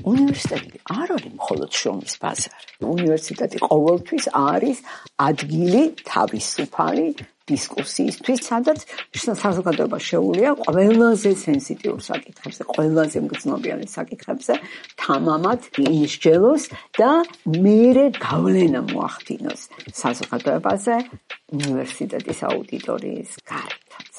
უნივერსიტეტი არ არის მხოლოდ შრომის ბაზარი. უნივერსიტეტი ყოველთვის არის ადგილი თავისუფალი დისკუსიისთვის, სადაც საზოგადოება შეუძლია ყველაზე სენსიტიურ საკითხებზე, ყველაზე მგრძნობიარე საკითხებზე თამამად ისჯელოს და მერე გავლენა მოახდინოს საზოგადოებაზე უნივერსიტეტის აუდიტორიის გარეთაც.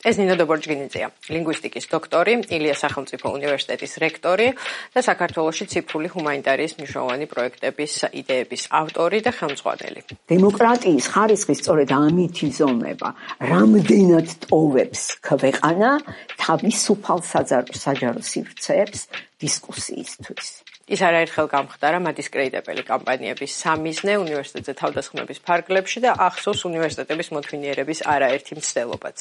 ეს ნინო დობორჯგინიძეა, ლინგვისტიკის დოქტორი, ილიას სახელმწიფო უნივერსიტეტის რექტორი და საქართველოში ციფრული ჰუმანიტარიის მნიშვნელოვანი პროექტების იდეების ავტორი და ხელმძღვანელი. დემოკრატიის ხარისხი სწორედ ამით იზომება, რამდენად ტოვებს ქვეყანა თავისუფალ საჯარო სივრცეებს დისკუსიისთვის. ის არაერთხელ გამხდარა მადისკრედიტებელი კამპანიების სამიზნე უნივერსიტეტზე თავდასხმების ფარგლებში და ახსოვს უნივერსიტეტების მოთვინიერების არაერთი მცდელობაც.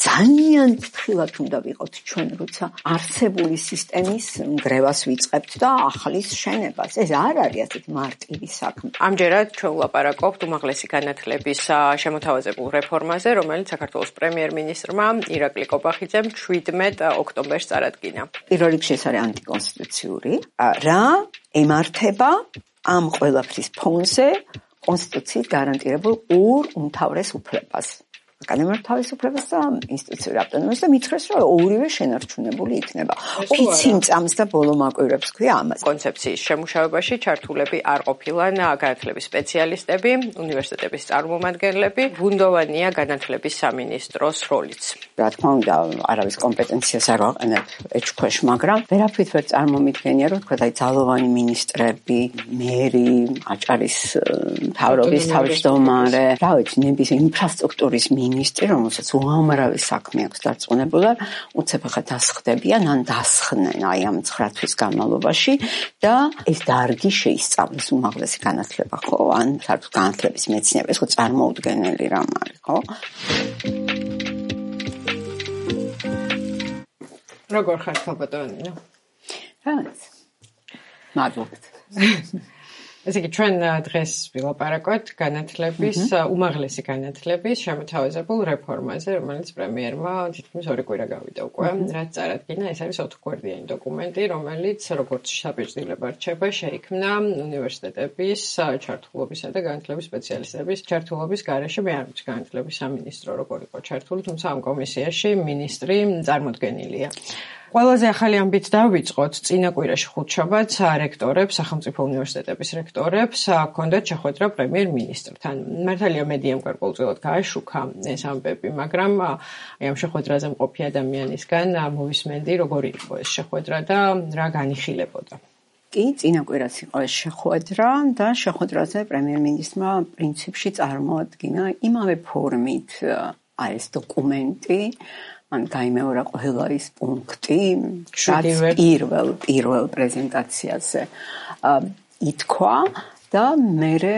ძალიან ფრთხილად უნდა ვიყოთ ჩვენ, როცა არსებული სისტემის ნგრევას ვიწყებთ და ახლის შენებას. ეს არ არის ასეთი მარტივი საქმე. ამჯერად ჩვენ ვლაპარაკობთ უმაღლესი განათლების შემოთავაზებულ რეფორმაზე, რომელიც საქართველოს პრემიერ-მინისტრმა ირაკლი კობახიძემ 17 ოქტომბერს წარადგინა. პირველ რიგში ეს არის ანტიკონსტიტუციური, რა ემართება ამ ყველაფრის ფონზე კონსტიტუციით გარანტირებულ ორ უმთავრეს უფლებას. აკადემიურ თავისუფლებას და ინსტიტუციურ ავტონომიას და მითხრეს, რომ ორივე შენარჩუნებული იქნება. 20 წამს და ბოლო მაკვირვებს ქვია ამას. კონცეფციის შემუშავებაში ჩართულები არ ყოფილან განათლების სპეციალისტები, უნივერსიტეტების წარმომადგენლები, ბუნდოვანია განათლების სამინისტროს როლიც. რა თქმა უნდა, არავის კომპეტენციას არ ვაყენებ ეჭქვეშ, მაგრამ ვერაფრით ვერ წარმომიდგენია, რომ თქვა ძალოვანი მინისტრები, მერი, აჭარის მთავრობის თავმჯდომარე, რა ვიცი, ნებისმიერი ინფრასტრუქტურის მინისტრი, რომელსაც უამრავი საქმე აქვს დარწმუნებული, უცებ ახლა დასხდებიან, ან დასხდნენ აი ამ 9 თვის განმავლობაში და ეს დარგი შეისწავლეს უმაღლესი განათლება, ხო? ან საერთოდ განათლების მეცნიერება, ეს ხო წარმოუდგენელი რამ არის, ხო? როგორ ხარ ხალბატონინო? რაც. მადლობთ. ესე იგი, ჩვენ დღეს ვილაპარაკოთ განათლების, უმაღლესი განათლების შემოთავაზებულ რეფორმაზე, რომელიც პრემიერმა თითქმის 2 კვირა გავიდა უკვე, რაც წარადგინა. ეს არის 4-გვერდიანი დოკუმენტი, რომელიც როგორც საპირისპიროება რჩება, შეიქმნა უნივერსიტეტების ჩართულობისა და განათლების სპეციალისტების ჩართულობის გარეშე. მე არ ვიცი განათლების სამინისტრო როგორ იყო ჩართული, თუმცა ამ კომისიაში მინისტრი წარმოდგენილია. ყველაზე ახალი ამბით დავიწყოთ, წინა კვირაში ხუთშაბათს რექტორებს, სახელმწიფო უნივერსიტეტების რექტორებს ჰქონდათ შეხვედრა პრემიერ-მინისტრთან. მართალია მედიამ გარკვეულწილად გააშუქა ეს ამბები, მაგრამ ამ შეხვედრაზე მყოფი ადამიანისგან მოვისმენდი, როგორი იყო ეს შეხვედრა და რა განიხილებოდა. კი, წინა კვირას იყო ეს შეხვედრა და შეხვედრაზე პრემიერ-მინისტრმა პრინციპში წარმოადგინა იმავე ფორმით ეს დოკუმენტი, ან გაიმეორა ყველა ის პუნქტი, რაც პირველ პრეზენტაციაზე ითქვა და მერე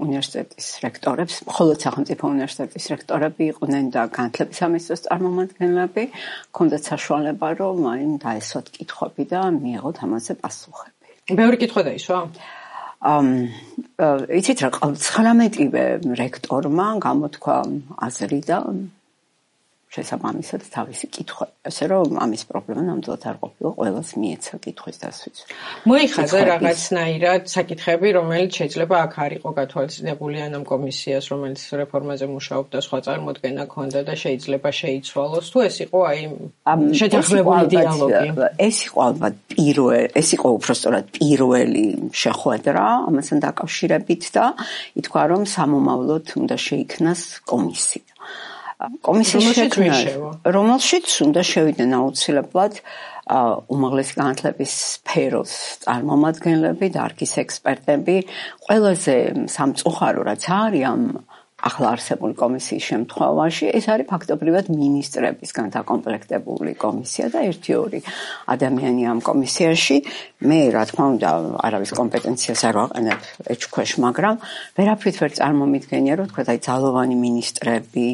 უნივერსიტეტის რექტორებს, მხოლოდ სახელმწიფო უნივერსიტეტის რექტორები იყვნენ და განათლების სამინისტროს წარმომადგენლები, ჰქონდათ საშუალება, რომ დაესვათ კითხვები და მიეღოთ ამაზე პასუხები. ბევრი კითხვა დაისვა? იცით რა, 19-ვე რექტორმა გამოთქვა აზრი და შესაბამისად თავისი კითხვა, ასე რომ ამის პრობლემა ნამდვილად არ ყოფილა, ყველას მიეცა კითხვის დასვიც. მოიხადა რაღაცნაირად საკითხები, რომელიც შეიძლება აქ არ იყო გათვალისწინებული ამ კომისიას, რომელიც რეფორმაზე მუშაობდა, სხვა წარმოდგენა ჰქონდა და შეიძლება შეიცვალოს, თუ ეს იყო აი შეთანხმებული დიალოგი. ეს იყო ალბათ ეს იყო უბრალოდ პირველი შეხვედრა ამასთან დაკავშირებით და ითქვა, რომ სამომავლოდ უნდა შეიქმნას კომისია. კომისიის შექმნა, რომელშიც უნდა შევიდნენ აუცილებლად უმაღლესი განათლების სფეროს წარმომადგენლები, დარგის ექსპერტები, ყველაზე სამწუხარო რაც არის ამ ახლა არსებული კომისიის შემთხვევაში, ეს არის ფაქტობრივად მინისტრებისგან დაკომპლექტებული კომისია და 1-2 ადამიანი ამ კომისიაში. მე, რა თქმა უნდა, არავის კომპეტენციას არ ვაყენებ ეჭქვეშ, მაგრამ ვერაფრით ვერ წარმომიდგენია, რომ თქვა აი ძალოვანი მინისტრები,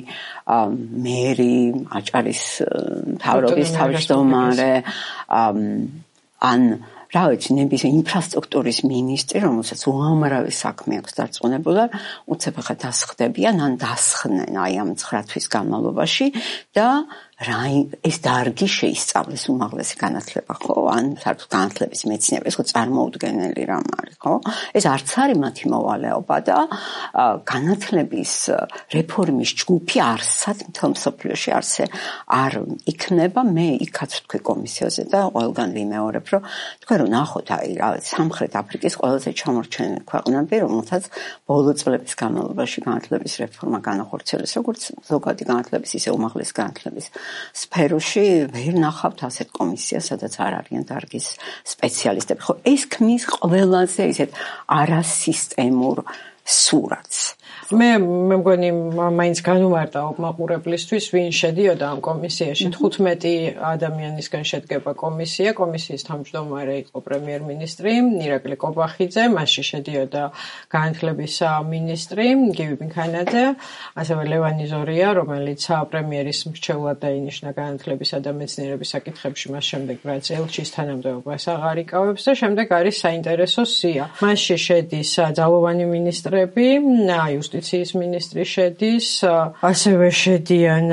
მერი, აჭარის მთავრობის თავმჯდომარე, ან რა ვიცი, ნებისმიერი ინფრასტრუქტურის მინისტრი, რომელსაც უამრავი საქმე აქვს დარწმუნებული, უცებ ახლა დასხდებიან, ან დასხდნენ აი ამ 9 თვის განმავლობაში და ეს დარგი შეისწავლეს უმაღლესი განათლება, ხო? ან საერთოდ განათლების მეცნიერება, ეს ხო წარმოუდგენელი რამ არის, ხო? ეს არც არის მათი მოვალეობა და განათლების რეფორმის ჯგუფი არსად მთელ მსოფლიოში არსე არ იქნება. მე იქაც ვთქვი კომისიაზე და ყველგან ვიმეორებ, რომ თქვენ რომ ნახოთ, აი რა, სამხრეთ აფრიკის ყველაზე ჩამორჩენილი ქვეყნები, რომელთაც ბოლო წლების განმავლობაში განათლების რეფორმა განახორციელეს, როგორც ზოგადი განათლების, ისე უმაღლესი განათლების სფეროში, ვერ ნახავთ ასეთ კომისიას, სადაც არ არიან დარგის სპეციალისტები. ხო, ეს ქმნის ყველაზე ისეთ არასისტემურ სურათს. მე მგონი მაინც განუმარტა მაყურებლისთვის, ვინ შედიოდა ამ კომისიაში. 15 ადამიანისგან შედგება კომისია. კომისიის თავმჯდომარე იყო პრემიერ-მინისტრი ირაკლი კობახიძე, მასში შედიოდა განათლების მინისტრი გივი ბინქანაძე, ასევე ლევანი ზორია, რომელიც პრემიერის მრჩევლად დაინიშნა განათლებისა და მეცნიერების საკითხებში, მას შემდეგ რაც ელჩის თანამდებობას აღარ იკავებს და შემდეგ არის საინტერესო სია. მასში შედის ძალოვანი მინისტრები, იუსტიციის მინისტრი შედის, ასევე შედიან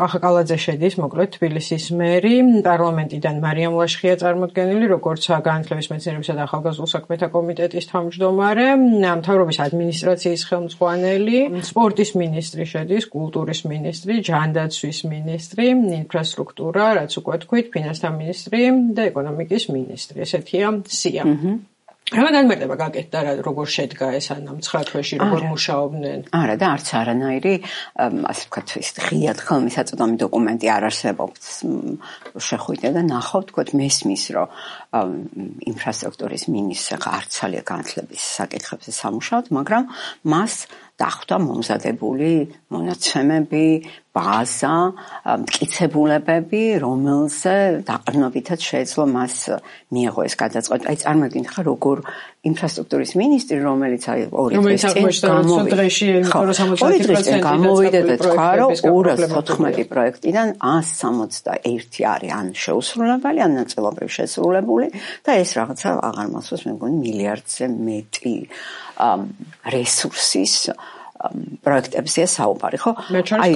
კახა კალაძე შედის, მოკლედ თბილისის მერი, პარლამენტიდან მარიამ ლაშხია წარმოდგენილი, როგორც განათლების მეცნიერებისა და ახალგაზრდულ საქმეთა კომიტეტის თავმჯდომარე, მთავრობის ადმინისტრაციის ხელმძღვანელი, სპორტის მინისტრი შედის, კულტურის მინისტრი, ჯანდაცვის მინისტრი, ინფრასტრუქტურა, რაც უკვე თქვით, ფინანსთა მინისტრი და ეკონომიკის მინისტრი. ესეთია სია. რა განმარტება გაკეთდა და როგორ შედგა ეს ან 9 თვეში როგორ მუშაობდნენ? არა და არც არანაირი ასე ვთქვათ ის ღიად ხელმისაწვდომი დოკუმენტი არ არსებობს. შეხვიდე და ნახავთ, თქვათ მესმის, რომ ინფრასტრუქტურის მინისტრს არც ძალიან განათლების საკითხებზე სამუშაოდ, მაგრამ მას დახვდა მომზადებული მონაცემები, ბაზა, მტკიცებულებები, რომელზე დაყრდნობითაც შეეძლო მას მიეღო ეს გადაწყვეტა. აი წარმოგიდგენთ ხა როგორ ინფრასტრუქტურის მინისტრი, რომელიც აი 2 დღეს წინ გამოვიდა და თქვა, რომ 214 პროექტიდან 161 არის ან შეუსრულებელი, ან ნაწილობრივ შესრულებული და ეს რაღაცა აღარ მახსოვს, მე მგონი მილიარდზე მეტი რესურსის პროექტებზეა საუბარი, ხო? აი,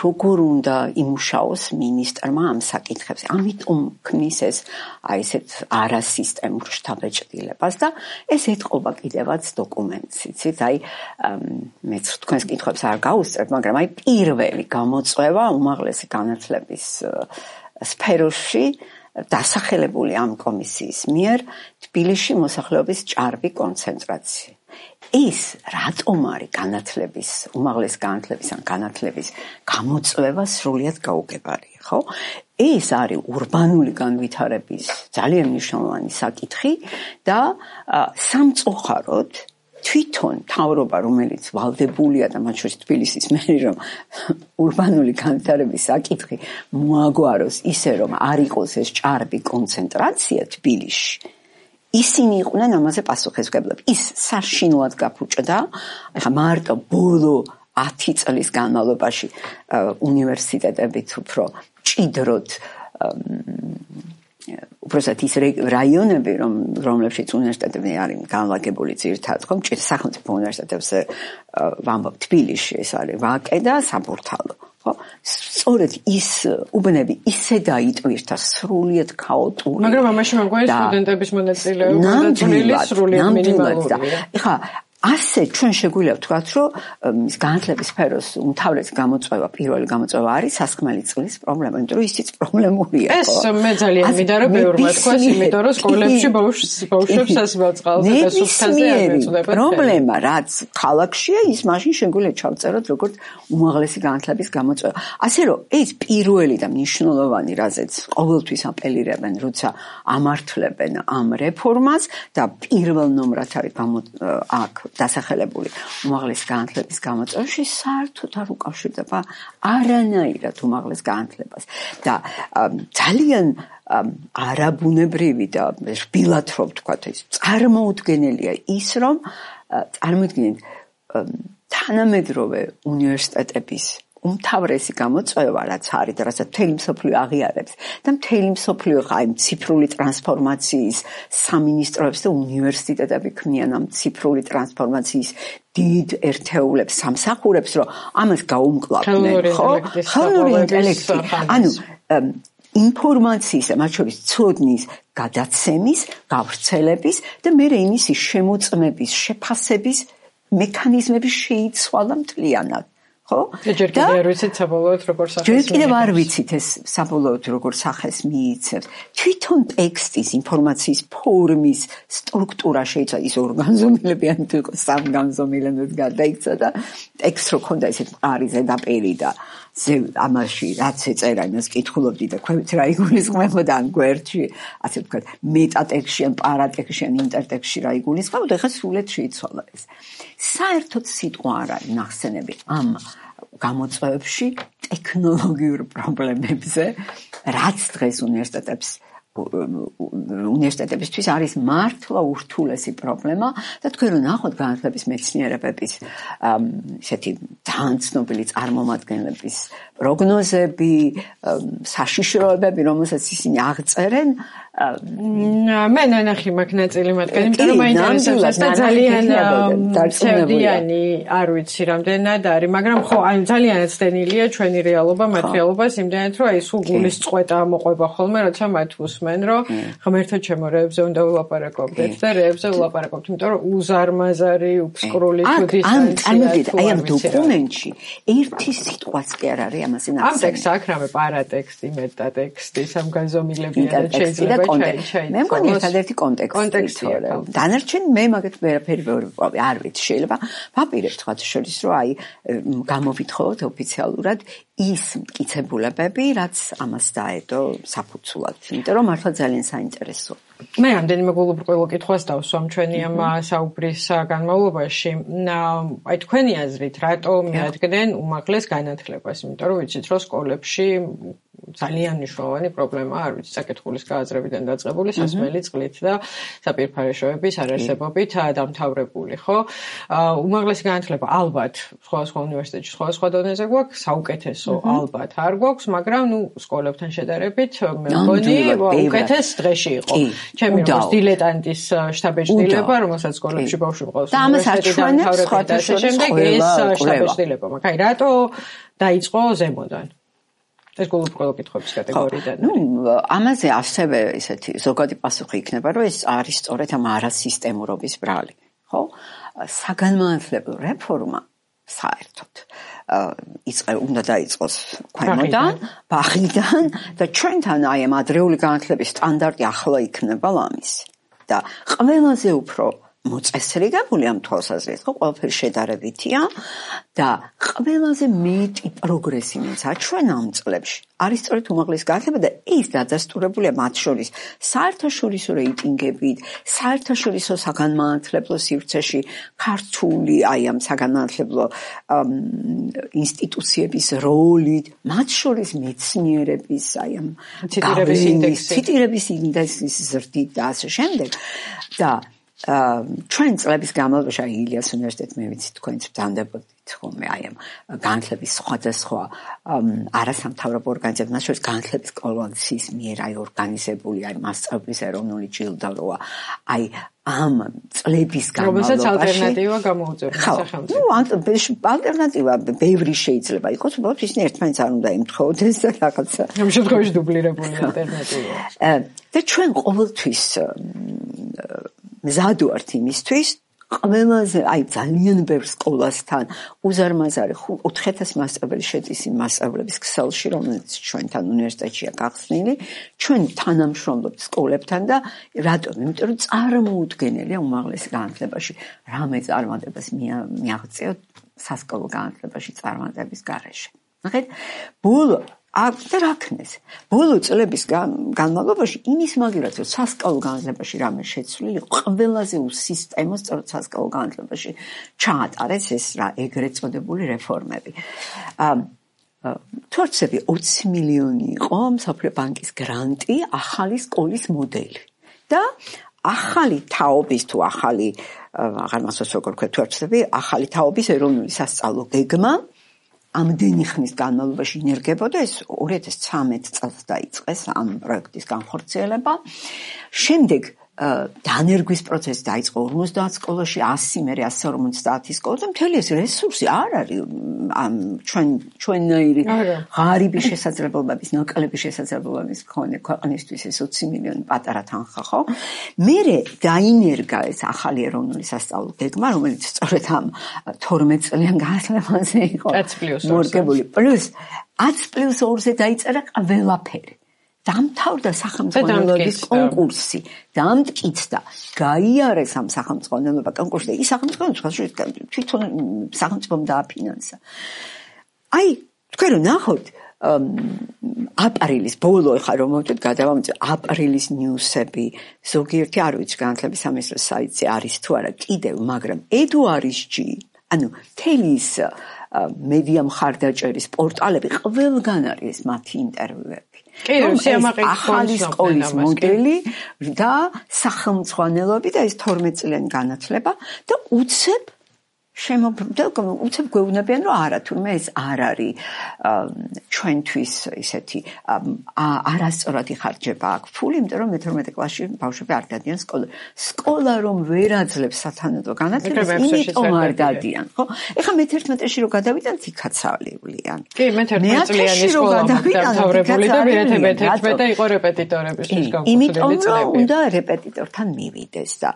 როგორ უნდა იმუშაოს მინისტრმა ამ საკითხებზე. ამიტომ ქმნის ეს აი ესეთ არასისტემურ შთაბეჭდილებას და ეს ეთყობა კიდევაც დოკუმენტს, იცით? აი მეც თქვენს კითხვებს არ გავუსწრებ, მაგრამ აი პირველი გამოწვევა უმაღლესი განათლების სფეროში დასახელებული ამ კომისიის მიერ თბილისში მოსახლეობის ჭარბი კონცენტრაცია. ის რატომ არის განათლების, უმაღლესი განათლების ან განათლების გამოწვევა სრულიად გაუგებარია, ხო? ეს არის ურბანული განვითარების ძალიან მნიშვნელოვანი საკითხი და სამწუხაროდ თვითონ მთავრობა, რომელიც ვალდებულია და მათ შორის თბილისის მერი, რომ ურბანული განვითარების საკითხი მოაგვაროს ისე, რომ არ იყოს ეს ჭარბი კონცენტრაცია თბილისში, ისინი იყვნენ ამაზე პასუხისმგებლები. ის საშინლად გაფუჭდა, ახლა მარტო ბოლო 10 წლის განმავლობაში უნივერსიტეტებით უფრო ჭიდროდ უბრალოდ ის რაიონები, რომლებშიც უნივერსიტეტები არის განლაგებული ძირითადად, ხო, სახელმწიფო უნივერსიტეტებზე ვამბობ თბილისში ეს არის ვაკე და საბურთალო. ხო, სწორედ ის უბნები ისე დაიტვირთა სრულიად ქაოტური. მაგრამ ამაში მეგონი სტუდენტების მონაწილეობა და წვლილი სრულიად მინიმალურია. ეხლა ასე ჩვენ შეგვიძლია ვთქვათ, რომ განათლების სფეროს უმთავრესი გამოწვევა, პირველი გამოწვევა არის სასხმელი წყლის პრობლემა, იმიტომ რომ ისიც პრობლემურია. ეს მე ძალიან მინდა რომ ბევრმა თქვას, იმიტომ რომ სკოლებში ბავშვებს სასმელ წყალზე და სუფთაზე არ მეწოდება. პრობლემა რაც ქალაქშია, ის მაშინ შეგვიძლია ჩავწეროთ როგორც უმაღლესი განათლების გამოწვევა. ასე რომ ეს პირველი და მნიშვნელოვანი, რაზეც ყოველთვის აპელირებენ, როცა ამართლებენ ამ რეფორმას და პირველ ნომრად არის აქ დასახელებული უმაღლესი განათლების გამოწვევაში საერთოდ არ უკავშირდება არანაირად უმაღლეს განათლებას და ძალიან არაბუნებრივი და რბილად რომ ვთქვათ ის წარმოუდგენელია ის რომ წარმოიდგინეთ თანამედროვე უნივერსიტეტების უმთავრესი გამოწვევა რაც არის და რასაც მთელი მსოფლიო აღიარებს და მთელი მსოფლიო აი ციფრული ტრანსფორმაციის სამინისტროებს და უნივერსიტეტები ქმნიან ამ ციფრული ტრანსფორმაციის დიდ ერთეულებს სამსახურებს რომ ამას გაუმკლავდნენ ხო ხელოვნური ინტელექტი ანუ ინფორმაციისა მათ შორის ცოდნის გადაცემის გავრცელების და მე იმისი შემოწმების შეფასების მექანიზმები შეიცვალა მთლიანად ხო? ჯერ კიდევ არ ვიცით საბოლოოდ როგორ სახეს ჯერ კიდევ არ ვიცით ეს საბოლოოდ როგორ სახეს მიიცემს. თვითონ ტექსტის, ინფორმაციის ფორმის სტრუქტურა შეიძლება ის ორგანზომილებიანი თუ იყოს სამგანზომილებად გადაიქცა და ტექსტ რო ქონდა ესეთ მყარი ზედაპირი და ამაში რაც ეწერა იმას კითხულობდი და ქვევით რა იგულისხმებოდა ამ გვერდში ასე ვთქვათ მეტატექსტში ან პარატექსტში ან ინტერტექსტში რა იგულისხმებოდა ხა სრულად შეიცვალა ეს. საერთოდ სიტყვა არ არის ნახსენები ამ გამოწვევებში ტექნოლოგიურ პრობლემებზე, რაც დღეს უნივერსიტეტებისთვის არის მართლა ურთულესი პრობლემა და თქვენ რომ ნახოთ განათლების მეცნიერებების ესეთი ძალიან ცნობილი წარმომადგენლების პროგნოზები, საშიშროებები, რომელსაც ისინი აღწერენ მე ნანახი მაგ ნაწილი მათგან, იმიტომ რომ მაინტერესებს და ძალიან ცევდიანი არ ვიცი რამდენად არის, მაგრამ ხო, აი ძალიანაც ცდენილია ჩვენი რეალობა, მათ რეალობას იმდენად რომ აი სულ გულის წყვეტა მოყვება ხოლმე, როცა მათ უსმენ, რომ ღმერთო ჩემო რეებზე უნდა ვილაპარაკობდეთ და რეებზე ვილაპარაკობთ, იმიტომ რომ უზარმაზარი, უფსკრული თუ დისტანცია აი ამ დოკუმენტში ერთი სიტყვაც კი არ არის ამაზე ნახსენები. ამ ტექსტს აქ რამე პარატექსტი, მეტატექსტი, სამგანზომილებიანი შეიძლება მე მგონი ერთადერთი კონტექსტია. დანარჩენი მე მაგათ ვერაფერი არ ვიცი. შეიძლება ვაპირებთ თქვათ შორის რომ აი გამოვითხოვოთ ოფიციალურად ის მტკიცებულებები, რაც ამას დაედო საფუძვლად. იმიტომ რომ მართლა ძალიან საინტერესოა. მე რამდენიმე გულუბრყვილო კითხვას დავსვამ ჩვენი ამ საუბრის განმავლობაში. აი თქვენი აზრით, რატო მიადგნენ უმაღლეს განათლებას? იმიტომ რომ ვიცით, რომ სკოლებში ძალიან მნიშვნელოვანი პრობლემაა, არ ვიცი, საკითხulis გააზრებიდან დაწყებული სასმელი წყლით და საპირფარეშოების არარსებობით დამთავრებული, ხო? უმაღლესი განათლება ალბათ სხვადასხვა უნივერსიტეტში სხვადასხვა დონეზე გვაქვს, საუკეთესო ალბათ არ გვაქვს, მაგრამ ნუ სკოლებთან შედარებით მე მგონი უკეთეს დღეში იყო. ჩემი როგორც დილეტანტის შტაბეჭდილება, რომელსაც სკოლებში ბავშვი მყავს უნივერსიტეტიდან თავრებიდან და შემდეგ ეს შტაბეჭდილება მაქვს. აი, რატო დაიწყო ზემოდან? ეს გულუბრყვილო კითხვების კატეგორიიდან. ამაზე ასევე ესეთი ზოგადი პასუხი იქნება, რომ ეს არის სწორედ ამ არასისტემურობის ბრალი, ხო? საგანმანათლებლო რეფორმა საერთოდ უნდა დაიწყოს ქვემოდან, ბაღიდან და ჩვენთან აი ამ ადრეული განათლების სტანდარტი ახლა იქნება ლამისი. და ყველაზე უფრო მოწესრიგებული ამ თვალსაზრისით, ხო, ყველაფერი შედარებითია და ყველაზე მეტი პროგრესი მიეცა ჩვენ ამ წლებში. არის სწორედ უმაღლესი განათლება და ის დადასტურებულია მათ შორის საერთაშორისო რეიტინგებით, საერთაშორისო საგანმანათლებლო სივრცეში ქართული აი ამ საგანმანათლებლო ინსტიტუციების როლით, მათ შორის მეცნიერების აი ამ ციტირების ინდექსის ზრდით და ასე შემდეგ და ჩვენ წლების განმავლობაში აი ილიას უნივერსიტეტი მე ვიცი თქვენც ვდანდებოდით ხოლმე აი ამ განათლების სხვადასხვა არასამთავრობო ორგანიზაციებთან, მათ შორის განათლების კოალიციის მიერ აი ორგანიზებული აი მასწავლებლის ეროვნული ჯილდო როა აი ამ წლების განმავლობაში რომელსაც ალტერნატივა გამოუწევს სახელმწიფო. ალტერნატივა ბევრი შეიძლება იყოს, უბრალოდ ისინი ერთმანეთს არ უნდა ემთხოვდეს და რაღაცა. ამ შემთხვევაში დუბლირებული ალტერნატივა. და ჩვენ ყოველთვის მზად ვართ იმისთვის, ყველაზე აი ძალიან ბევრ სკოლასთან უზარმაზარი 4000 მასწავლებელი შედის იმ მასწავლებლების ქსელში, რომელიც ჩვენთან უნივერსიტეტშია გახსნილი, ჩვენ თანამშრომლობთ სკოლებთან და რატომ? იმიტომ რომ წარმოუდგენელია უმაღლეს განათლებაში რამე წარმატებას მიაღწიოთ სასკოლო განათლებაში წარმატების გარეშე. ნახეთ, ბოლო და რა ქნეს? ბოლო წლების განმავლობაში იმის მაგერაც რომ სასკოლო განათლებაში რამე შეცვლილი, ყველაზე უსისტემო სწორედ სასკოლო განათლებაში ჩაატარეს ეს რა ეგრეთ წოდებული რეფორმები. თორცები 20 მილიონი იყო მსოფლიო ბანკის გრანტი ახალი სკოლის მოდელი. და ახალი თაობის თუ აღარ მახსოვს როგორ ქვია თორცები, ახალი თაობის ეროვნული სასწავლო გეგმა ამდენი ხნის განმავლობაში ინერგებოდა, ეს 2013 წელს დაიწყეს ამ პროექტის განხორციელება. შემდეგ დანერგვის პროცესი დაიწყო 50 სკოლაში, 100 მერე 150 სკოლა და მთელი ეს რესურსი არ არის ამ ჩვენნაირი ღარიბი შესაძლებლობების, ნაკლები შესაძლებლობების მქონე ქვეყნისთვის ეს 20 მილიონი პატარა თანხა, ხო? მერე დაინერგა ეს ახალი ეროვნული სასწავლო გეგმა, რომელიც სწორედ ამ 12 წლიან განმავლობაში იყო მორგებული. პლუს 10+2-ზე დაიწერა ყველაფერი. დამთავრდა სახელმწიფო კონკურსი, დამტკიცდა, გაიარეს ამ სახელმწიფო კონკურსი და ის სახელმწიფო თვითონ სახელმწიფომ დააფინანსა. აი, თქვენ რომ ნახოთ, აპრილის ბოლო ხა რომ მოვთქვით გადავამოწე აპრილის ნიუსები, ზოგიერთი არ ვიცი განათლების სამინისტროს საიტზე არის თუ არა კიდევ, მაგრამ ედუარისჯი, ანუ თელის მედია მხარდაჭერის პორტალები ყველგან არის მათი ინტერვიუები. ახალი სკოლის მოდელი და სახელმწიფოანელობი და ეს 12 წლიანი განათლება და უცებ გვეუბნებიან რომ არა თურმე ეს არ არის ჩვენთვის ისეთი არასწორად იხარჯება აქ ფული, იმიტომ რომ მე-12 კლასში ბავშვები არ დადიან სკოლა რომ ვერ აძლევს სათანადო განათლებას, იმიტომ არ დადიან, ხო? ეხლა მე-11-ში რო გადავიდანთ იქაც ავლევლიან. კი, მე-11 წლიანი სკოლა დამთავრებული და მე-11 იყო რეპეტიტორების განხორციელებული. იმიტომ რომ უნდა რეპეტიტორთან მივიდეს და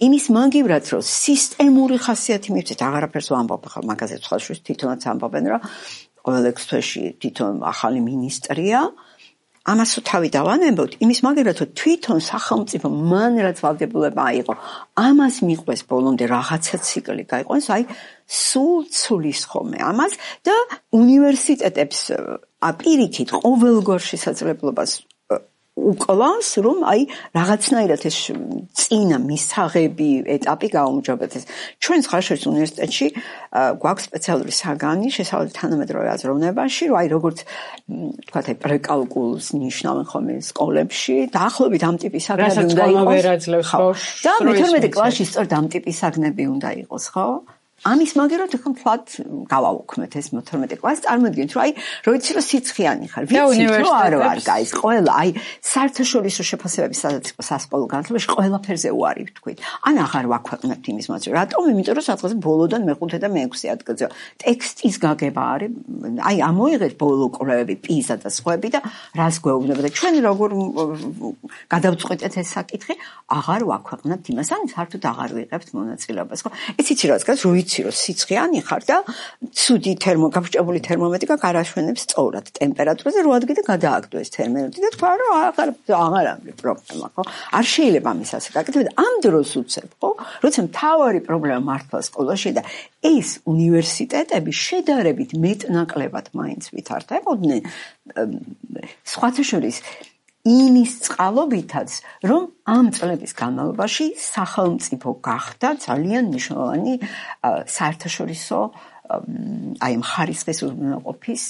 იმის მაგივრად რომ სისტემური ხასიათი მივცეთ აღარაფერს ვამბობ ხა მაგაზე სხვაშორის თვითონაც ამბობენ რომ ყოველ 6 თვეში თვითონ ახალი მინისტრია ამას თავი დავანებოთ იმის მაგერად რომ თვითონ სახელმწიფო მან რაც ვალდებულება აიღო ამას მიყვეს ბოლომდე რაღაცა ციკლი გაიყვანს აი სულ ცulis ხომე ამას და უნივერსიტეტებს აპირიქით ყოველგვარ შესაძლებლობას უკლავს რომ აი რაღაცნაირად ეს წინა მისაღები ეტაპი გაუმჯობესდეს. ჩვენ ხარშვის უნივერსიტეტში გვაქვს სპეციალური საგანი შესაბამის თანამედროვე აზროვნებაში, რომ აი როგორც თქვათ აი პრეკალკულს ნიშნავენ ხოლმე სკოლებში, დაახლოებით ამ ტიპის საგნები უნდა იყოს. და მე-12 კლასში სწორედ ამ ტიპის საგნები უნდა იყოს, ხო? ამის მაგერად ხო ფლად გავაუქმეთ ეს 12 კლასს წარმოგიდგენთ რომ აი რო იცი რომ სიცხიანი ხარ ვიცი რომ არ ვარ გაის ყველა აი საერთაშორისო შეფასებების სადაც იყო სასკოლო განათლებაში ყველაფერზე უარი ვთქვით ან აღარ ვაქვეყნებთ იმის მოწვევა რატომ იმიტომ რომ სადღაც ბოლოდან მე-5 და მე-6 ადგილზე ტექსტის გაგება არის აი ამოიღეთ ბოლო კვლევები პიზა და სხვაები და რას გვეუბნება და ჩვენ როგორ გადავწყვეტეთ ეს საკითხი აღარ ვაქვეყნებთ იმას ან საერთოდ აღარ ვიღებთ მონაწილეობას ხო ეს იცი რა გას რო რომ სიცხიანი ხარ და ცუდი გაფრჭებული თერმომეტრიკა გარაშვენებს სწორად ტემპერატურაზე რო ადგილზე გადააგდო ეს თერმომეტრი და თქვა რომ აღარ არის პრობლემა ხო არ შეიძლება ამის ასე გაკეთება და ამ დროს უცებ ხო როცა მთავარი პრობლემა მართლა სკოლაში და ეს უნივერსიტეტები შედარებით მეტნაკლებად მაინც ვითარდებოდნენ სხვათა შორის იმის წყალობითაც რომ ამ წლების განმავლობაში სახელმწიფო გახდა ძალიან მნიშვნელოვანი საერთაშორისო აი მხარისხის უზრუნველყოფის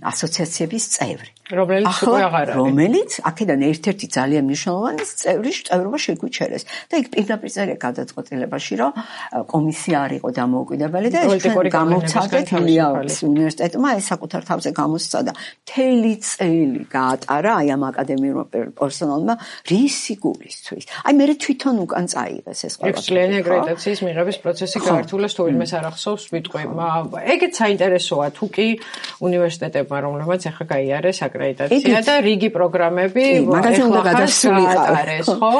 ასოციაციების წევრი. რომელიც აქედან ერთ-ერთი ძალიან მნიშვნელოვანი წევრობა შეგვიჩერეს და იქ პირდაპირ წერია გადაწყვეტილებაში რომ კომისია არ იყო დამოუკიდებელი და ეს გამოვცადეთ ილიაურის უნივერსიტეტმა ეს საკუთარ თავზე გამოსცადა მთელი წელი გაატარა აი ამ აკადემიურმა პერსონალმა რისი გულისთვის. აი მე თვითონ უკან წაიღეს ეს ყველაფერი. ექსკლიანი აკრედიტაციის მიღების პროცესი გაართულეს თუ ვინმეს არ ახსოვს ვიტყვი. ეგეც საინტერესოა თუ კი უნივერსიტეტებმა რომლებმაც ახლა გაიარეს აკრედიტაცია და რიგი პროგრამები მაგაზე უნდა გადასულიყარეს ხო?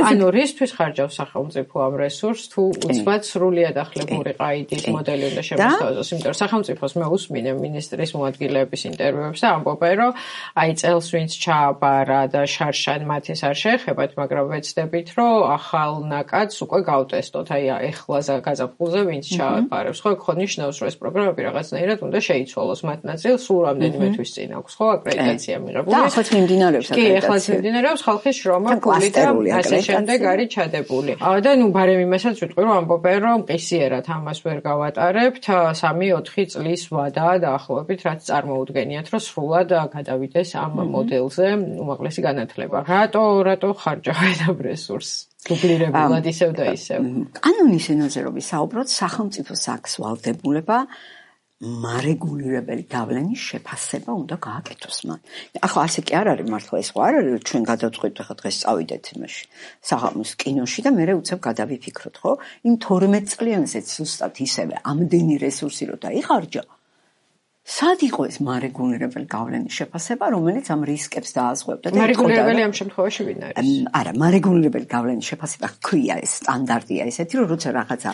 ანუ რისთვის ხარჯავს სახელმწიფო ამ რესურსს თუ უცბად სრულიად ახლებური ყაიდის მოდელი უნდა შემოსთავაზოს, იმიტომ რომ სახელმწიფოს მე უსმინე მინისტრის მოადგილეების ინტერვიუებს და ამბობენ რომ აი წელს ვინც ჩააბარა და შარშან მათეს არ შეეხებათ, მაგრამ ვეცდებით რომ ახალ ნაკადს უკვე გავტესტოთ, აი ეხლა გაზაფხულზე ვინც ჩააბარებს, ხო, ხო ნიშნავს რომ ეს პროგრამები რაღაცნაირად უნდა შეიცვალოს მათ ნაწილს სულ რამდენიმე თვის წინ აქვს ხო აკრედიტაცია მიღებული და ახლა მიმდინარეობს აკრედიტაცია კი ახლა მიმდინარეობს ხალხის შრომა ფული და ასე შემდეგ არის ჩადებული და ნუ ბარემ იმასაც ვიტყვი რომ ამბობენ რომ ყისიერად ამას ვერ გავატარებთ 3-4 წლის ვადაა დაახლოებით რაც წარმოუდგენიათ რომ სრულად გადავიდეს ამ მოდელზე უმაღლესი განათლება რატო ხარჯავენ ამ რესურსს დუბლირებულად ისევ და ისევ კანონის ენაზე რომ ვისაუბროთ სახელმწიფოს აქვს ვალდებულება მარეგულირებელი გავლენის შეფასება უნდა გააკეთოს მან. ახლა ასე კი არ არის მართლა ეს ხო არ არის რომ ჩვენ გადავწყვიტ ახლა დღეს წავიდეთ იმაში საღამოს კინოში და მერე უცებ გადავიფიქროთ ხო? იმ 12 წლიანზე ზუსტად ისევე ამდენი რესურსი რო დაიხარჯა სად იყო ეს მარეგულირებელი გავლენის შეფასება, რომელიც ამ რისკებს დააზღვევდა და მარეგულირებელი ამ შემთხვევაში ვინ არის? არა, მარეგულირებელი გავლენის შეფასება ქვია ეს სტანდარტია ესეთი, რომ როცა რაღაცა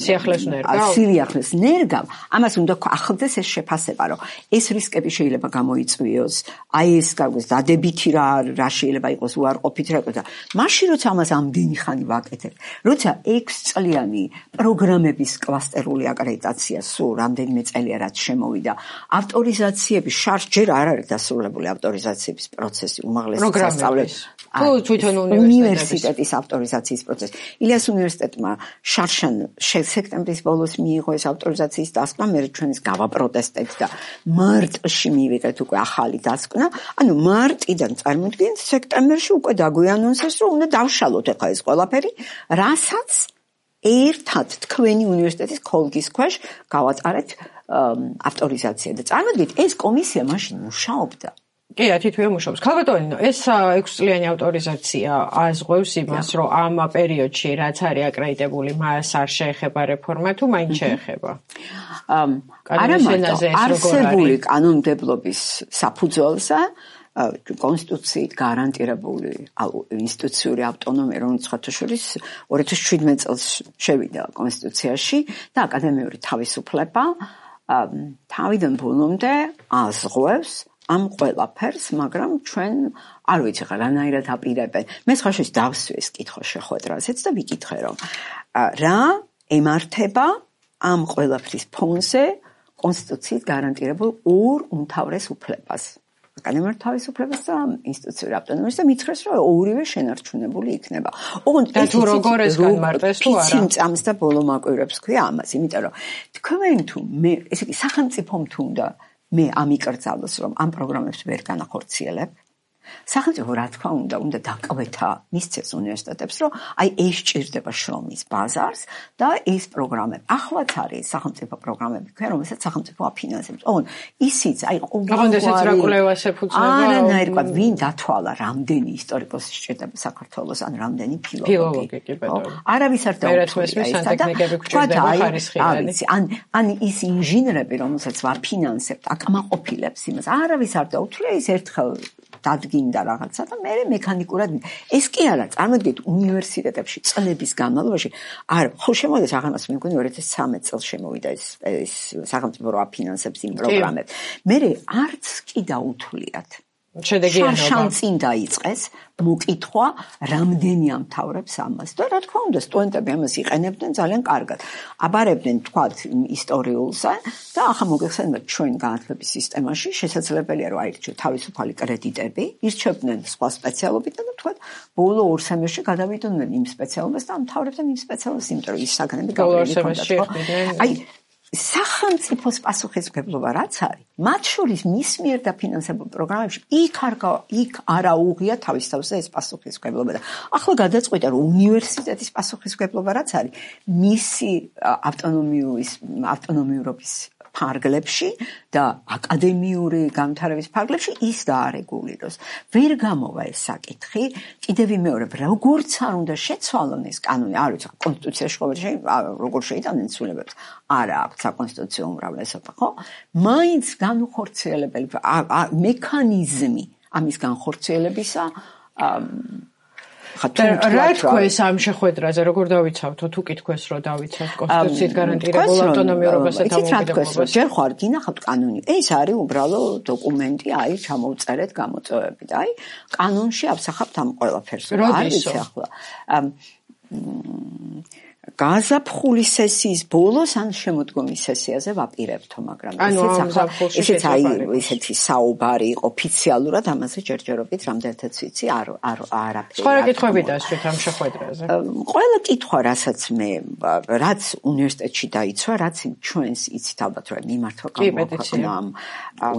სიახლეს ნერგავ, ამას უნდა ახლდეს ეს შეფასება, რომ ეს რისკები შეიძლება გამოიწვიოს, აი ეს გაგვეს დადებითი რა შეიძლება იყოს უარყოფით რა და მაშინ როცა ამას ამდენი ხანი ვაკეთებ, როცა 6 წლიანი პროგრამების კლასტერული აკრედიტაცია სულ რამდენიმე წელია რაც მოვიდა ავტორიზაციების შარშ ჯერ არ არის დასრულებული ავტორიზაციების პროცესი უმაღლესი სასწავლებელი თვითონ უნივერსიტეტის ავტორიზაციის პროცესი ილიას უნივერსიტეტმა შარშან სექტემბრის ბოლოს მიიღო ეს ავტორიზაციის დასკვნა მე ჩვენის გავაპროტესტებთ და მარტში მივიღეთ უკვე ახალი დასკვნა ანუ მარტიდან წარმოიდგინეთ სექტემბერში უკვე დაგვიანონსეს რომ უნდა დავშალოთ ახლა ეს ყველაფერი რასაც ერთად თქვენი უნივერსიტეტის ქოლგის ქვეშ გავატარეთ ავტორიზაცია და წარმოიდგინეთ ეს კომისია მაშინ მუშაობდა კი, თითქოს მუშაობს. ქალბატონო, ეს 6 წლიანი ავტორიზაცია ազღვევს იმას, რომ ამ პერიოდში რაც არის აკრედიტებული, მას არ შეეხება რეფორმა თუ მაინც შეეხება? არა მარტო, არსებული კანონმდებლობის საფუძველზე კონსტიტუციით გარანტირებული ინსტიტუციური ავტონომია, რომელიც ხათაშორის 2017 წელს შევიდა კონსტიტუციაში და აკადემიური თავისუფლება თავიდან ბოლომდე ազღვევს ამ ყველაფერს, მაგრამ ჩვენ არ ვიცი ხა რანაირად აპირებენ. მე ხაშვის დავსვი ეს კითხვა შეხვედრაზეც და ვიკითხე რომ რა ემართება ამ ყველაფრის ფონზე კონსტიტუციით გარანტირებულ ორ უმთავრეს უფლებას. აკადემიურ თავისუფლებას და ინსტიტუციური ავტონომიას და მითხრეს რომ ორივე შენარჩუნებული იქნება. ოღონდ ეს თუ როგორ ეს განმარტეს თუ არა? წამს და ბოლო მაკვირვებს ქვია ამას, იმიტომ რომ თქვენ თუ მე ესე იგი სახელმწიფომ თუ უნდა მე ამიკრძალოს რომ ამ პროგრამებს ვერ განახორციელებ სახელმწიფო რა თქმა უნდა დაკვეთა მისცეს უნივერსიტეტებს რომ აი ეს ჭირდება შრომის ბაზარს და ეს პროგრამები ახლაც არის სახელმწიფო პროგრამები ქვია რომელსაც სახელმწიფო აფინანსებს ოღონდ ისიც აი არანაირად ვინ დათვალა რამდენი ისტორიკოსი სჭირდება საქართველოს ან რამდენი ფილოლოგი არავის არ დაუწყია ან ის ინჟინრები რომელსაც ვაფინანსებთ აკმაყოფილებს იმას არავის არ დაუცვლია ის ერთხელ დადგინდა რაღაცა და მე მექანიკურად ეს კი არა წარმოიდგინეთ უნივერსიტეტებში წლების განმავლობაში არ ხო შემოვიდა აღანას მე მგონი 2013 წელს შემოვიდა ეს სახელმწიფო რო აფინანსებს იმ პროგრამებს მე არც კი დაუთვლიათ შედეგიანობა წინ დაიწყეს მოკითხვა რამდენი ამთავრებს ამას და რა თქმა უნდა სტუდენტები ამას იყენებდნენ ძალიან კარგად აბარებდნენ თქვათ ისტორიულსა და ახლა მოგეხსენებათ ჩვენ განათლების სისტემაში შესაძლებელია რომ აირჩიოთ თავისუფალი კრედიტები ირჩევდნენ სხვა სპეციალობიდან და თქვათ ბოლო 2 სემესტრში გადავიდოდნენ იმ სპეციალობას და ამთავრებდნენ იმ სპეციალობას იმიტომ რომ ის საგანები გავიგებდნენ აი სახელმწიფოს პასუხისმგებლობა რაც არის მათ შორის მის მიერ დაფინანსებულ პროგრამებში იქ არა უღია თავის თავზე ეს პასუხისმგებლობა და ახლა გადაწყვიტა რომ უნივერსიტეტის პასუხისმგებლობა რაც არის მისი ავტონომიურობის ფარგლებში და აკადემიური განვითარების ფარგლებში ის დაარეგულიროს. ვერ გამოვა ეს საკითხი, კიდევ ვიმეორებ, როგორც არ უნდა შეცვალონ ეს კანონი, არ ვიცი, კონსტიტუციაში როგორ შეიტანენ ცვლილებებს. არა აქვს საკონსტიტუციო უმრავლესობა, ხო? მაინც განუხორციელებელი მექანიზმი ამის განხორციელებისა რა თქვენს ამ შეხვედრაზე როგორ დავიცავთო თუ კითხვეს რომ დავიცავთ კონსტიტუციით გარანტირებულ ავტონომიურობასა და დამოუკიდებლობას ჯერ ხარ გინახავთ კანონი ეს არის უბრალო დოკუმენტი აი ჩამოვწერეთ გამოწვევები და აი კანონში ავსახავთ ამ ყველაფერს არ ვიცი ახლა გაზაფხულის სესიის ბოლოს ან შემოდგომის სესიაზე ვაპირებთო, მაგრამ ესეც აი ესეთი საუბარი ოფიციალურად ამაზე ჯერჯერობით რამდენადაც ვიცი არაფერი. სხვა კითხვები დასვით ამ შეხვედრაზე. ყველა კითხვა, რაც უნივერსიტეტში დაიცვა, რაც ჩვენს იცით ალბათ რომ მიმართვა გამოქვეყნა ამ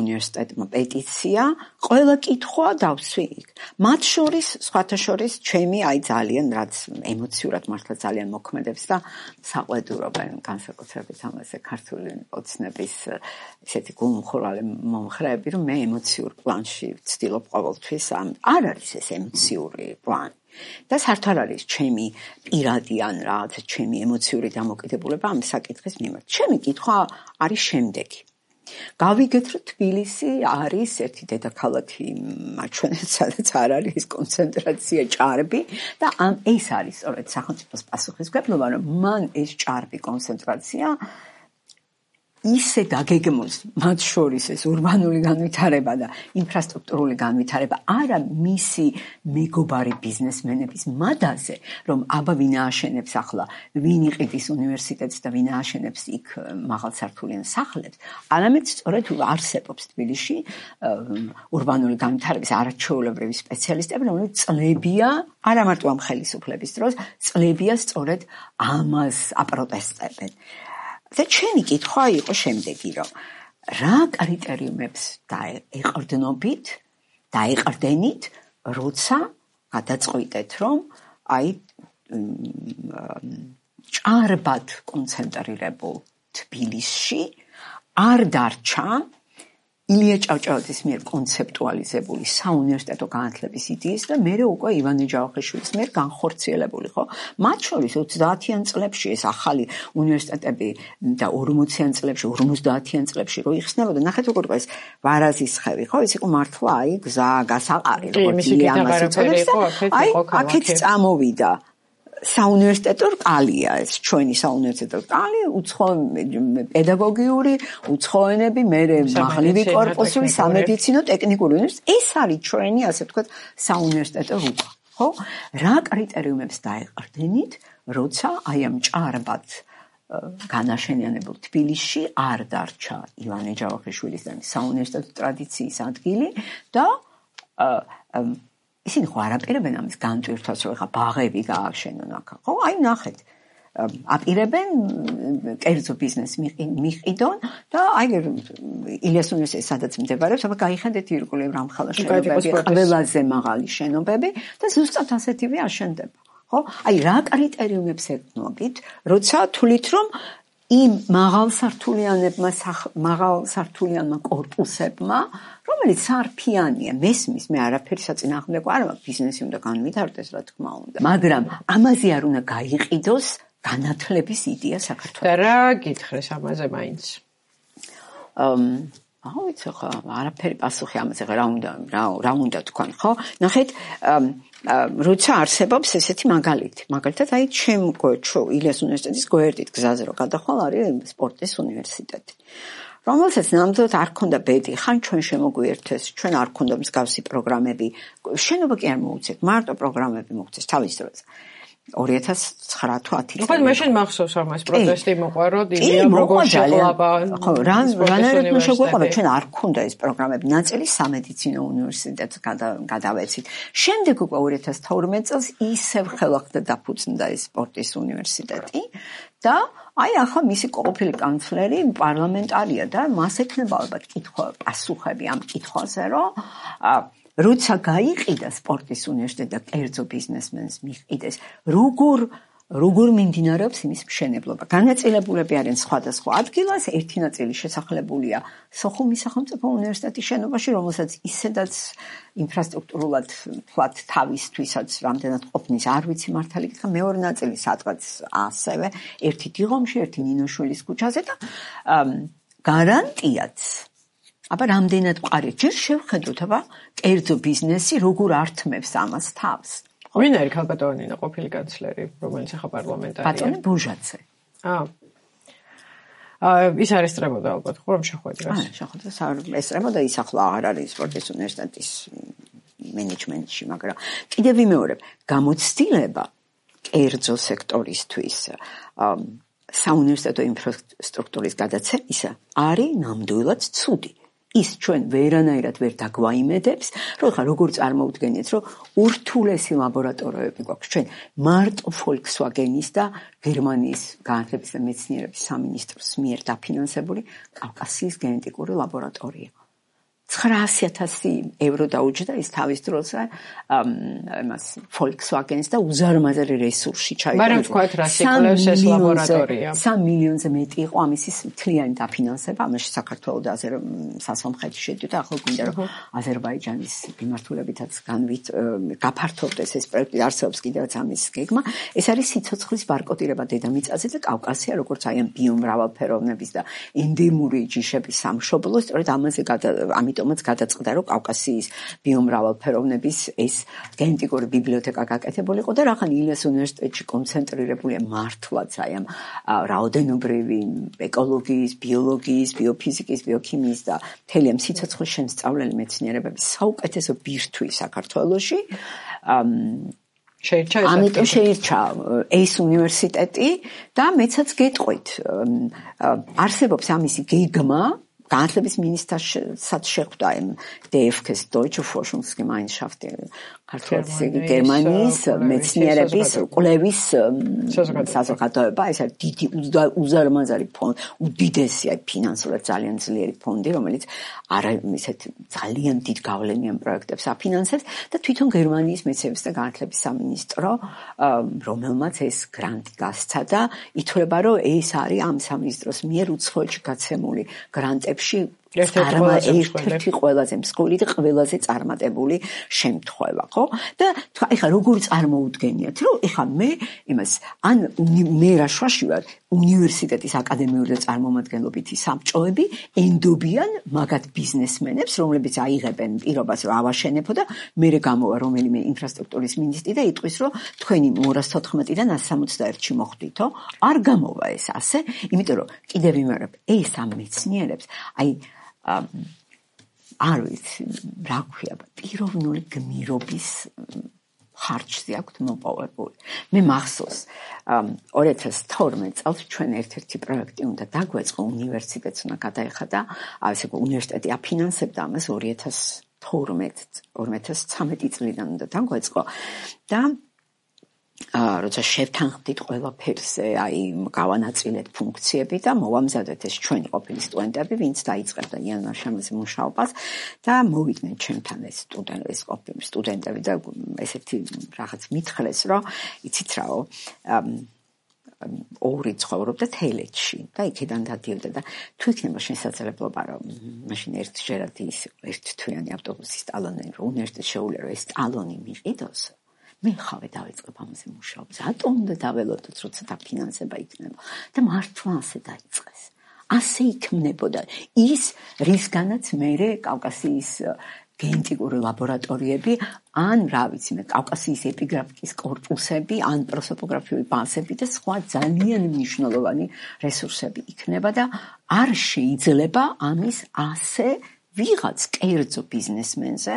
უნივერსიტეტმა პეტიცია, ყველა კითხვა დავსვი იქ. მათ შორის, სხვათა შორის, ჩემი აი ძალიან რაც ემოციურად მართლა ძალიან მოქმედებს და საყვედურობენ განსაკუთრებით ამაზე ქართული ოცნების ესეთი გულმხურვალი მომხრეები, რომ მე ემოციურ პლანში ვცდილობ ყოველთვის არ არის ეს ემოციური პლანი. და საერთოდ არ არის ჩემი პირადი ან რაღაცა ჩემი ემოციური დამოკიდებულება ამ საკითხის მიმართ. ჩემი კითხვა არის შემდეგი. გავიგეთ, რომ თბილისი არის ერთი დედაქალაქი მაჩვენეთ, სადაც არ არის ეს კონცენტრაცია ჭარბი და ეს არის სწორედ სახელმწიფოს პასუხისმგებლობა, რომ მან ეს ჭარბი კონცენტრაცია ისე დაგეგმოს, მათ შორის ეს ურბანული განვითარება და ინფრასტრუქტურული განვითარება არა მისი მეგობარი ბიზნესმენების მადაზე, რომ აბა ვინ ააშენებს ახლა, ვინ იყიდის უნივერსიტეტს და ვინ ააშენებს იქ მაღალსართულიან სახლებს, არამედ სწორედ არსებობს თბილისში ურბანული განვითარების არაჩვეულებრივი სპეციალისტები, რომლებიც წლებია, არა მარტო ამ ხელისუფლების დროს, წლებია სწორედ ამას აპროტესტებენ. და ჩემი კითხვა იყო შემდეგი, რომ რა კრიტერიუმებს დაეყრდენით, როცა გადაწყვიტეთ, რომ ჭარბად კონცენტრირებულ თბილისში არ დარჩა ილია ჭავჭავაძის მიერ კონცეპტუალიზებული საუნივერსიტეტო განათლების იდეის და მერე უკვე ივანე ჯავახიშვილის მიერ განხორციელებული, ხო? მათ შორის 30-იან წლებში ეს ახალი უნივერსიტეტები და 40-იან წლებში, 50-იან წლებში რო იხსნებოდა, ნახეთ როგორ იყო ეს ვარაზისხევი, ხო? ეს იყო მართლა გზა, გასაყარი, როგორც ამას იწოდებს და აქეთ წამოვიდა საუნივერსიტეტო რკალია ეს ჩვენი საუნივერსიტეტო რკალი, პედაგოგიური, უცხოენები, მერე მაღლივი კორპუსული, სამედიცინო, ტექნიკური უნივერსიტეტი. ეს არის ჩვენი, ასე ვთქვათ, საუნივერსიტეტო რუკა, ხო? რა კრიტერიუმებს დაეყრდენით, როცა აი ამ ჭარბად განაშენიანებულ თბილისში არ დარჩა ივანე ჯავახიშვილის და საუნივერსიტეტო ტრადიციის ადგილი და ისინი ხო არაპირებენ ამის განტვირთვას, რომ ეხა ბაღები გააშენონ აქ, ხო? აი ნახეთ, აპირებენ კერძო ბიზნეს მიყიდონ და აი ილიას უნივერსიტეტი სადაც მდებარეობს, აბა გაიხედეთ ირგვლივ რამხელა შენობები, ყველაზე მაღალი შენობები და ზუსტად ასეთივე აშენდება, ხო? აი რა კრიტერიუმებს ეკნობით, როცა თვლით, რომ იმ მაღალსართულიანმა კორპუსებმა, რომელიც სარფიანია, მესმის, მე არაფერი საწინააღმდეგო არ მაქვს, ბიზნესი უნდა განვითარდეს, რა თქმა უნდა. მაგრამ ამაზე არ უნდა გაიყიდოს განათლების იდეა საქართველოს. და რა გითხრეს ამაზე მაინც? ვიცი ხო, არაფერი პასუხი ამაზე რა უნდა თქვან, ხო? ნახეთ, როცა არსებობს ესეთი მაგალითად აი ჩემ ილიას უნივერსიტეტის გვერდით გზაზე რო გადახვალ არის სპორტის უნივერსიტეტი, რომელსაც ნამდვილად არ ქონდა ბედი, ხან ჩვენ შემოგვიერთეს, ჩვენ არ ქონდა მსგავსი პროგრამები, შენობა კი არ მოუწევთ, მარტო პროგრამები მოუწევთ თავის დროზე. 2009 თუ 10 წელი. ხო, მაშინ მახსოვს რომ ეს პროტესტი მოყვა, ილიამ როგორ შეყლაბა. ხო, რანაირად შეგვეყვა, ჩვენ არ ქონდა ეს პროგრამები, ნაწილი სამედიცინო უნივერსიტეტს გადავეცით. შემდეგ უკვე 2012 წელს ისევ ხელახლა დაფუძნდა ეს სპორტის უნივერსიტეტი და აი ახლა მისი ყოფილი კანცლერი პარლამენტარია და მას ექნება ალბათ პასუხები ამ კითხვაზე, რომ როცა გაიყიდა სპორტის უნივერსიტეტი და კერძო ბიზნესმენს მიყიდეს, როგორ მიმდინარეობს იმის მშენებლობა. განაწილებულები არიან სხვადასხვა ადგილას, ერთი ნაწილი შესახლებულია სოხუმის სახელმწიფო უნივერსიტეტის შენობაში, რომელსაც ისედაც ინფრასტრუქტურულად თქვათ თავისთვისაც რამდენად ყოფნის არ ვიცი მართალი კითხა, მეორე ნაწილი სადღაც ასევე, ერთი დიღომში, ერთი ნინოშვილის ქუჩაზე და გარანტიაც აბა რამდენად მყარია, ჯერ შევხედოთ, აბა კერძო ბიზნესი როგორ ართმევს ამას თავს. ვინ არის ქალბატონინა ყოფილი კანცლერი, რომელიც ახლა პარლამენტარია? ბატონი ბუჟაძე. ის არ ესწრებოდა ალბათ, ხო რომ შეხვედრას? შეხვედრას არ ესწრებოდა, ის ახლა აღარ არის სპორტის უნივერსიტეტის მენეჯმენტში, მაგრამ კიდევ ვიმეორებ, გამოცდილება კერძო სექტორისთვის საუნივერსიტეტო ინფრასტრუქტურის გადაცემისა არის ნამდვილად ცუდი. ის ჩვენ ვერანაირად ვერ დაგვაიმედებს, რომ ხა როგორ წარმოვდგენიეთ, რომ ურთულესი ლაბორატორიები გვაქვს ჩვენ მარტო Volkswagen-ის და გერმანიის განათლების და მეცნიერების სამინისტროს მიერ დაფინანსებული კავკასიის გენეტიკური ლაბორატორია. 900,000 ევრო დაუჯდა ის თავის დროზე იმას Volkswagen-ს და უზარმაზარი რესურსი ჩაიტანა. მაგრამ თქვათ რა სიკლევს ეს ლაბორატორია. 3 მილიონზე მეტი იყო ამის მთლიანი დაფინანსება, ამაში საქართველო და სასამხეთი შედიოდა, ახლა გვინდა რომ აზერბაიჯანის მიმართულებითაც გაფართოვდეს ეს პროექტი, არსებობს კიდევაც ამის გეგმა. ეს არის სიცოცხლის ბარკოტირება დედამიწაზე და კავკასია, როგორც აი ამ ბიომრავალფეროვნების და ენდემური ჯიშების სამშობლო, სწორედ ამიტომაც გადაწყდა, რომ კავკასიის ბიომრავალფეროვნების ეს გენეტიკური ბიბლიოთეკა გაკეთებულიყო და რახან ილიას უნივერსიტეტში კონცენტრირებულია მართლაც აი ამ რაოდენობრივი ეკოლოგიის, ბიოლოგიის, ბიოფიზიკის, ბიოქიმიის და მთელი ამ სიცოცხლის შემსწავლელი მეცნიერებების საუკეთესო ბირთვი საქართველოში. ამიტომ შეირჩა ეს უნივერსიტეტი და მეცაც გეტყვით, არსებობს ამისი გეგმა, განათლების მინისტრსაც შეხვდა იმ DFK-ს Deutsche Forschungsgemeinschaft ქართულით გერმანიის მეცნიერების კვლევის საზოგადოება, ეს არის დიდი უზარმაზარი ფონდი, უდიდესი ფინანსურად ძალიან ძლიერი ფონდი, რომელიც ისეთ ძალიან დიდ გავლენიან პროექტებს აფინანსებს და თვითონ გერმანიის მეცნიერების და განათლების სამინისტრო, რომელმაც ეს გრანტი გასცა და ითვლება, რომ ეს არის ამ სამინისტროს მიერ უცხოეთში გაცემული გრანტებში ერთ-ერთი ყველაზე მსხვილი და ყველაზე წარმატებული შემთხვევა, ხო? და ეხლა როგორ წარმოუდგენიათ, რომ ეხლა მე იმას მე რაშვაში ვარ უნივერსიტეტის აკადემიური და წარმომადგენლობითი საბჭოები ენდობიან მაგათ ბიზნესმენებს, რომლებიც აიღებენ პირობას რომ ავაშენებო და მერე გამოვა რომელიმე ინფრასტრუქტურის მინისტრი და იტყვის, რომ თქვენი 214-დან 161-ში მოხვდითო, არ გამოვა ეს ასე, იმიტომ რომ კიდევ ვიმეორებ, ეს ამ მეცნიერებს, აი არ ვიცი, რა ქვია, პიროვნული გმირობის ხარჯზე აქვთ მოპოვებული. მე მახსოვს 2012 წელს ჩვენ ერთ-ერთი პროექტი უნდა დაგვეწყო, უნივერსიტეტს უნდა გადაეხადა, ასე უნივერსიტეტი აფინანსებდა ამას 2012-2013 წლიდან უნდა დაგვეწყო და როცა შევთანხმდით ყველაფერზე, აი გავანაწილეთ ფუნქციები და მოვამზადეთ ეს ჩვენი ყოფილი სტუდენტები, ვინც დაიწყებდა იანვარ შამაზე მუშაობას და მოვიდნენ ჩემთან ეს სტუდენტები და ესეთი რაღაც მითხრეს, რომ იცით რაო, ორი ცხოვრობდა თელეთში და იქიდან დადიოდა და თუ იქნება შესაძლებლობა, რომ მაშინ ერთჯერად ის ერთთვიანი ავტობუსის ტალონი რომ უნივერსიტეტში შეუძლია რომ ეს ტალონი მიყიდოს, მე ხავე დავიწყებ ამაზე მუშაობას. რატომ უნდა დაველოდოთ, როცა დაფინანსება იქნება და მართლა ასე დაიწყეს. ასე იქმნებოდა ის, რისგანაც მერე კავკასიის გენეტიკური ლაბორატორიები, ან რა ვიცი მე, კავკასიის ეპიგრაფიკის კორპუსები, ან პროსოპოგრაფიული ბაზები და სხვა ძალიან მნიშვნელოვანი რესურსები იქნება და არ შეიძლება ამის ასე ვიღაც კერძო ბიზნესმენზე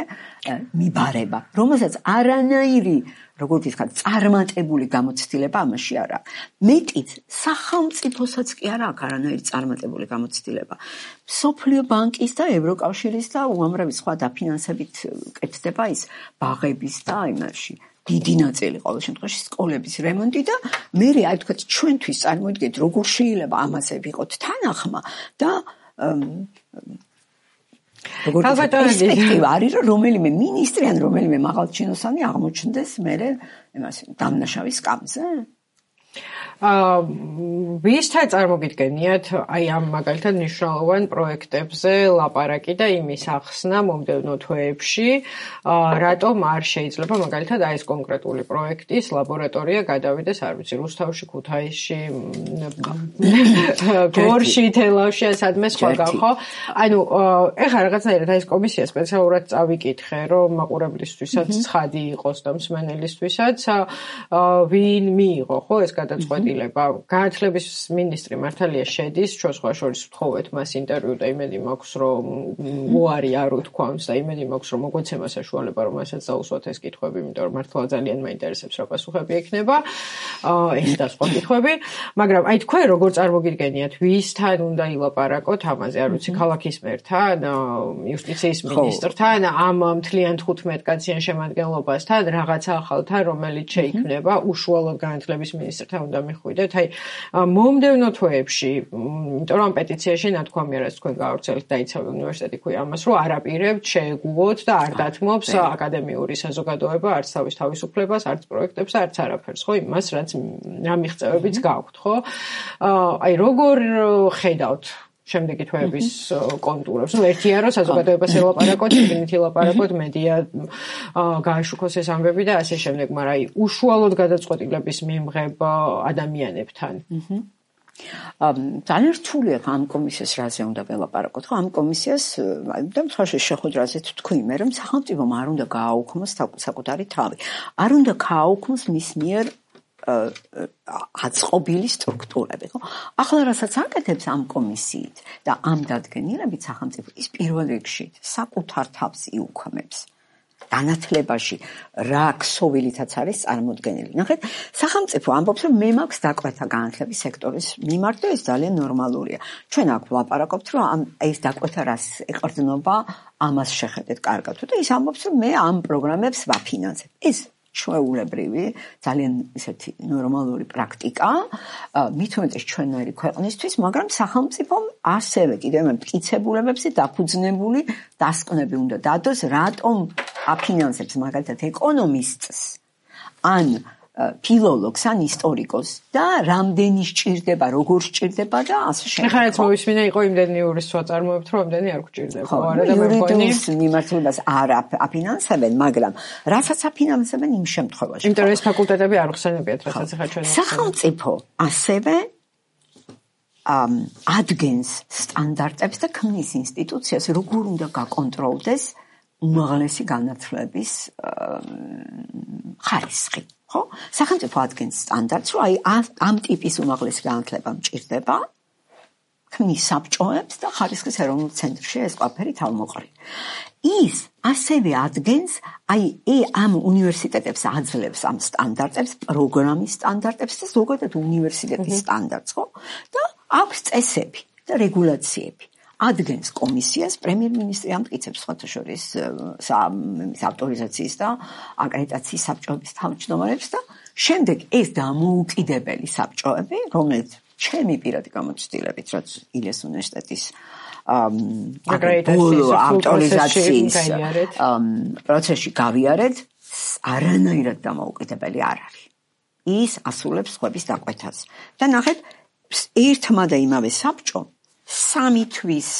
მიბარება, რომელსაც არანაირი, როგორც ვთქვათ, წარმატებული გამოცდილება ამაში არ აქვს. მეტიც სახელმწიფოსაც კი არ აქვს არანაირი წარმატებული გამოცდილება. მსოფლიო ბანკის და ევროკავშირის და უამრავი სხვა დაფინანსებით კეთდება ის ბაღების და იმაში დიდი ნაწილი ყოველ შემთხვევაში სკოლების რემონტი და მე აი თქვათ ჩვენთვის წარმოიდგინეთ როგორ შეიძლება ამაზე ვიყოთ თანახმა და პერსპექტივა არის რომ რომელიმე მინისტრი ან რომელიმე მაღალჩინოსანი აღმოჩნდეს მერე იმას დამნაშავის სკამზე. ვისთან წარმოგიდგენიათ აი ამ მაგალითად მნიშვნელოვან პროექტებზე ლაპარაკი და იმის ახსნა მომდევნო თვეებში, რატომ არ შეიძლება მაგალითად აი ეს კონკრეტული პროექტის ლაბორატორია გადავიდეს, არ ვიცი, რუსთავში, ქუთაისში, გორში, თელავში, სადმე სხვაგან, ხო? ანუ ეხლა რაღაცნაირად აი ეს კომისია სპეციალურად წავიკითხე, რომ მაყურებლისთვისაც ცხადი იყოს და მსმენელისთვისაც ვინ მიიღო, ხო, ეს გადაწყვეტილება. განათლების მინისტრი მართალია შედის, ჩვენ სხვა შორის ვთხოვეთ მას ინტერვიუ და იმედი მაქვს, რომ უარი არ უთქვამს და იმედი მაქვს, რომ მოგვეცემა საშუალება, რომ მასაც დაუსვათ ეს კითხვები, იმიტომ რომ მართლა ძალიან მაინტერესებს რა პასუხები ექნება. ეს და სხვა კითხვები, მაგრამ აი თქვენ როგორ წარმოგიდგენიათ, ვისთან უნდა ილაპარაკოთ ამაზე, არ ვიცი, ქალაქის მერთან, იუსტიციის მინისტრთან, ამ მთლიან 15 კაციან შემადგენლობასთან, რაღაცა ახალთან, რომელიც შეიქმნება, უშუალოდ განათლების მინისტრთან უნდა მიხვიდეთ. აი, მომდევნო თვეებში, იმიტომ რომ პეტიციაში ნათქვამია, რაც თქვენ გაავრცელეთ დაიცავი უნივერსიტეტი ქვია ამას, რომ არ აპირებთ, შეეგუოთ და არ დათმობს აკადემიური საზოგადოება არც თავის თავისუფლებას, არც პროექტებს, არც არაფერს, ხო, იმას, რაც რა მიღწევებიც გაქვთ, ხო? აი, როგორ ხედავთ შემდეგი თვეების კონტურებს? ნუ ერთია რომ საზოგადოებას ელაპარაკოთ, შეგნით ელაპარაკოთ, მედია გააშუქოს ეს ამბები და ასე შემდეგ, მაგრამ აი, უშუალოდ გადაწყვეტილების მიმღებ ადამიანებთან. ძალიან რთულია ამ კომისიას რაზე უნდა ველაპარაკოთ, ხო? ამ კომისიას და მხარში შეხვედრაზე თქვი მე რომ სახელმწიფომ არ უნდა გააუქმოს საკუთარი თავი. არ უნდა გააუქმოს მის მიერ აწყობილი სტრუქტურები, ხო? ახლა რასაც აკეთებს ამ კომისიით და ამ დადგენილებით სახელმწიფო ის პირველ რიგში საკუთარ თავს იუქმებს. განათლებაში რა ქსოვილითაც არის წარმოდგენილი. ნახეთ, სახელმწიფო ამბობს, რომ მე მაქვს დაკვეთა განათლების სექტორის მიმართ და ეს ძალიან ნორმალურია. ჩვენ აქ ვლაპარაკობთ, რომ ეს დაკვეთა რას ეყრდნობა, ამას შეხედეთ კარგად. და ის ამბობს, რომ მე ამ პროგრამებს ვაფინანსებ. ეს ჩვეულებრივი, ძალიან ისეთი ნორმალური პრაქტიკა, მით უმეტეს ჩვენერი ქვეყნისთვის, მაგრამ სახელმწიფომ ასევე კიდევ მტკიცებულებებზე დაფუძნებული დასკვნები უნდა დადოს, რატომ აფინანსებს მაგალითად ეკონომისტს, ან ფილოლოგს, ან ისტორიკოს და რამდენი სჭირდება, როგორ სჭირდება და ასე შემდეგ. ახლა რაც მოვისმინე იყო იმდენი იურის საწარმოებთ, რომ რამდენი არ გჭირდება, არა და მე მგონი მიმართულებას არ აფინანსებენ, მაგრამ რასაც აფინანსებენ იმ შემთხვევაში. იმიტომ რომ ეს ფაკულტეტები არ ხსენებიათ, რასაც ახლა ჩვენ სახელმწიფო ასევე ადგენს სტანდარტებს და ქმნის ინსტიტუციას, როგორ უნდა გაკონტროლდეს უმაღლესი განათლების ხარისხი. ხო? სახელმწიფო ადგენს სტანდარტს, რომ აი ამ ტიპის უმაღლესი განათლება მჭირდება, ქმნის საბჭოებს და ხარისხის ეროვნულ ცენტრში ეს ყველაფერი თავმოყრილი. ის ასევე ადგენს, აი ამ უნივერსიტეტებს აძლევს ამ სტანდარტებს, პროგრამის სტანდარტებს და ზოგადად უნივერსიტეტის სტანდარტს, ხო? და აქვს წესები და რეგულაციები. ადგენს კომისიას, პრემიერ-მინისტრი ამტკიცებს სხვათა შორის ავტორიზაციის და აკრედიტაციის საბჭოების თავმჯდომარებს და შემდეგ ეს დამოუკიდებელი საბჭოები, რომელიც ჩემი პირადი გამოცდილებით, რაც ილიას უნივერსიტეტის ავტორიზაციის პროცესში გავიარეთ, არანაირად დამოუკიდებელი არ არის. ის ასრულებს სხვების დაკვეთას. და ნახეთ, ერთმა და იმავე საბჭომ 3 თვის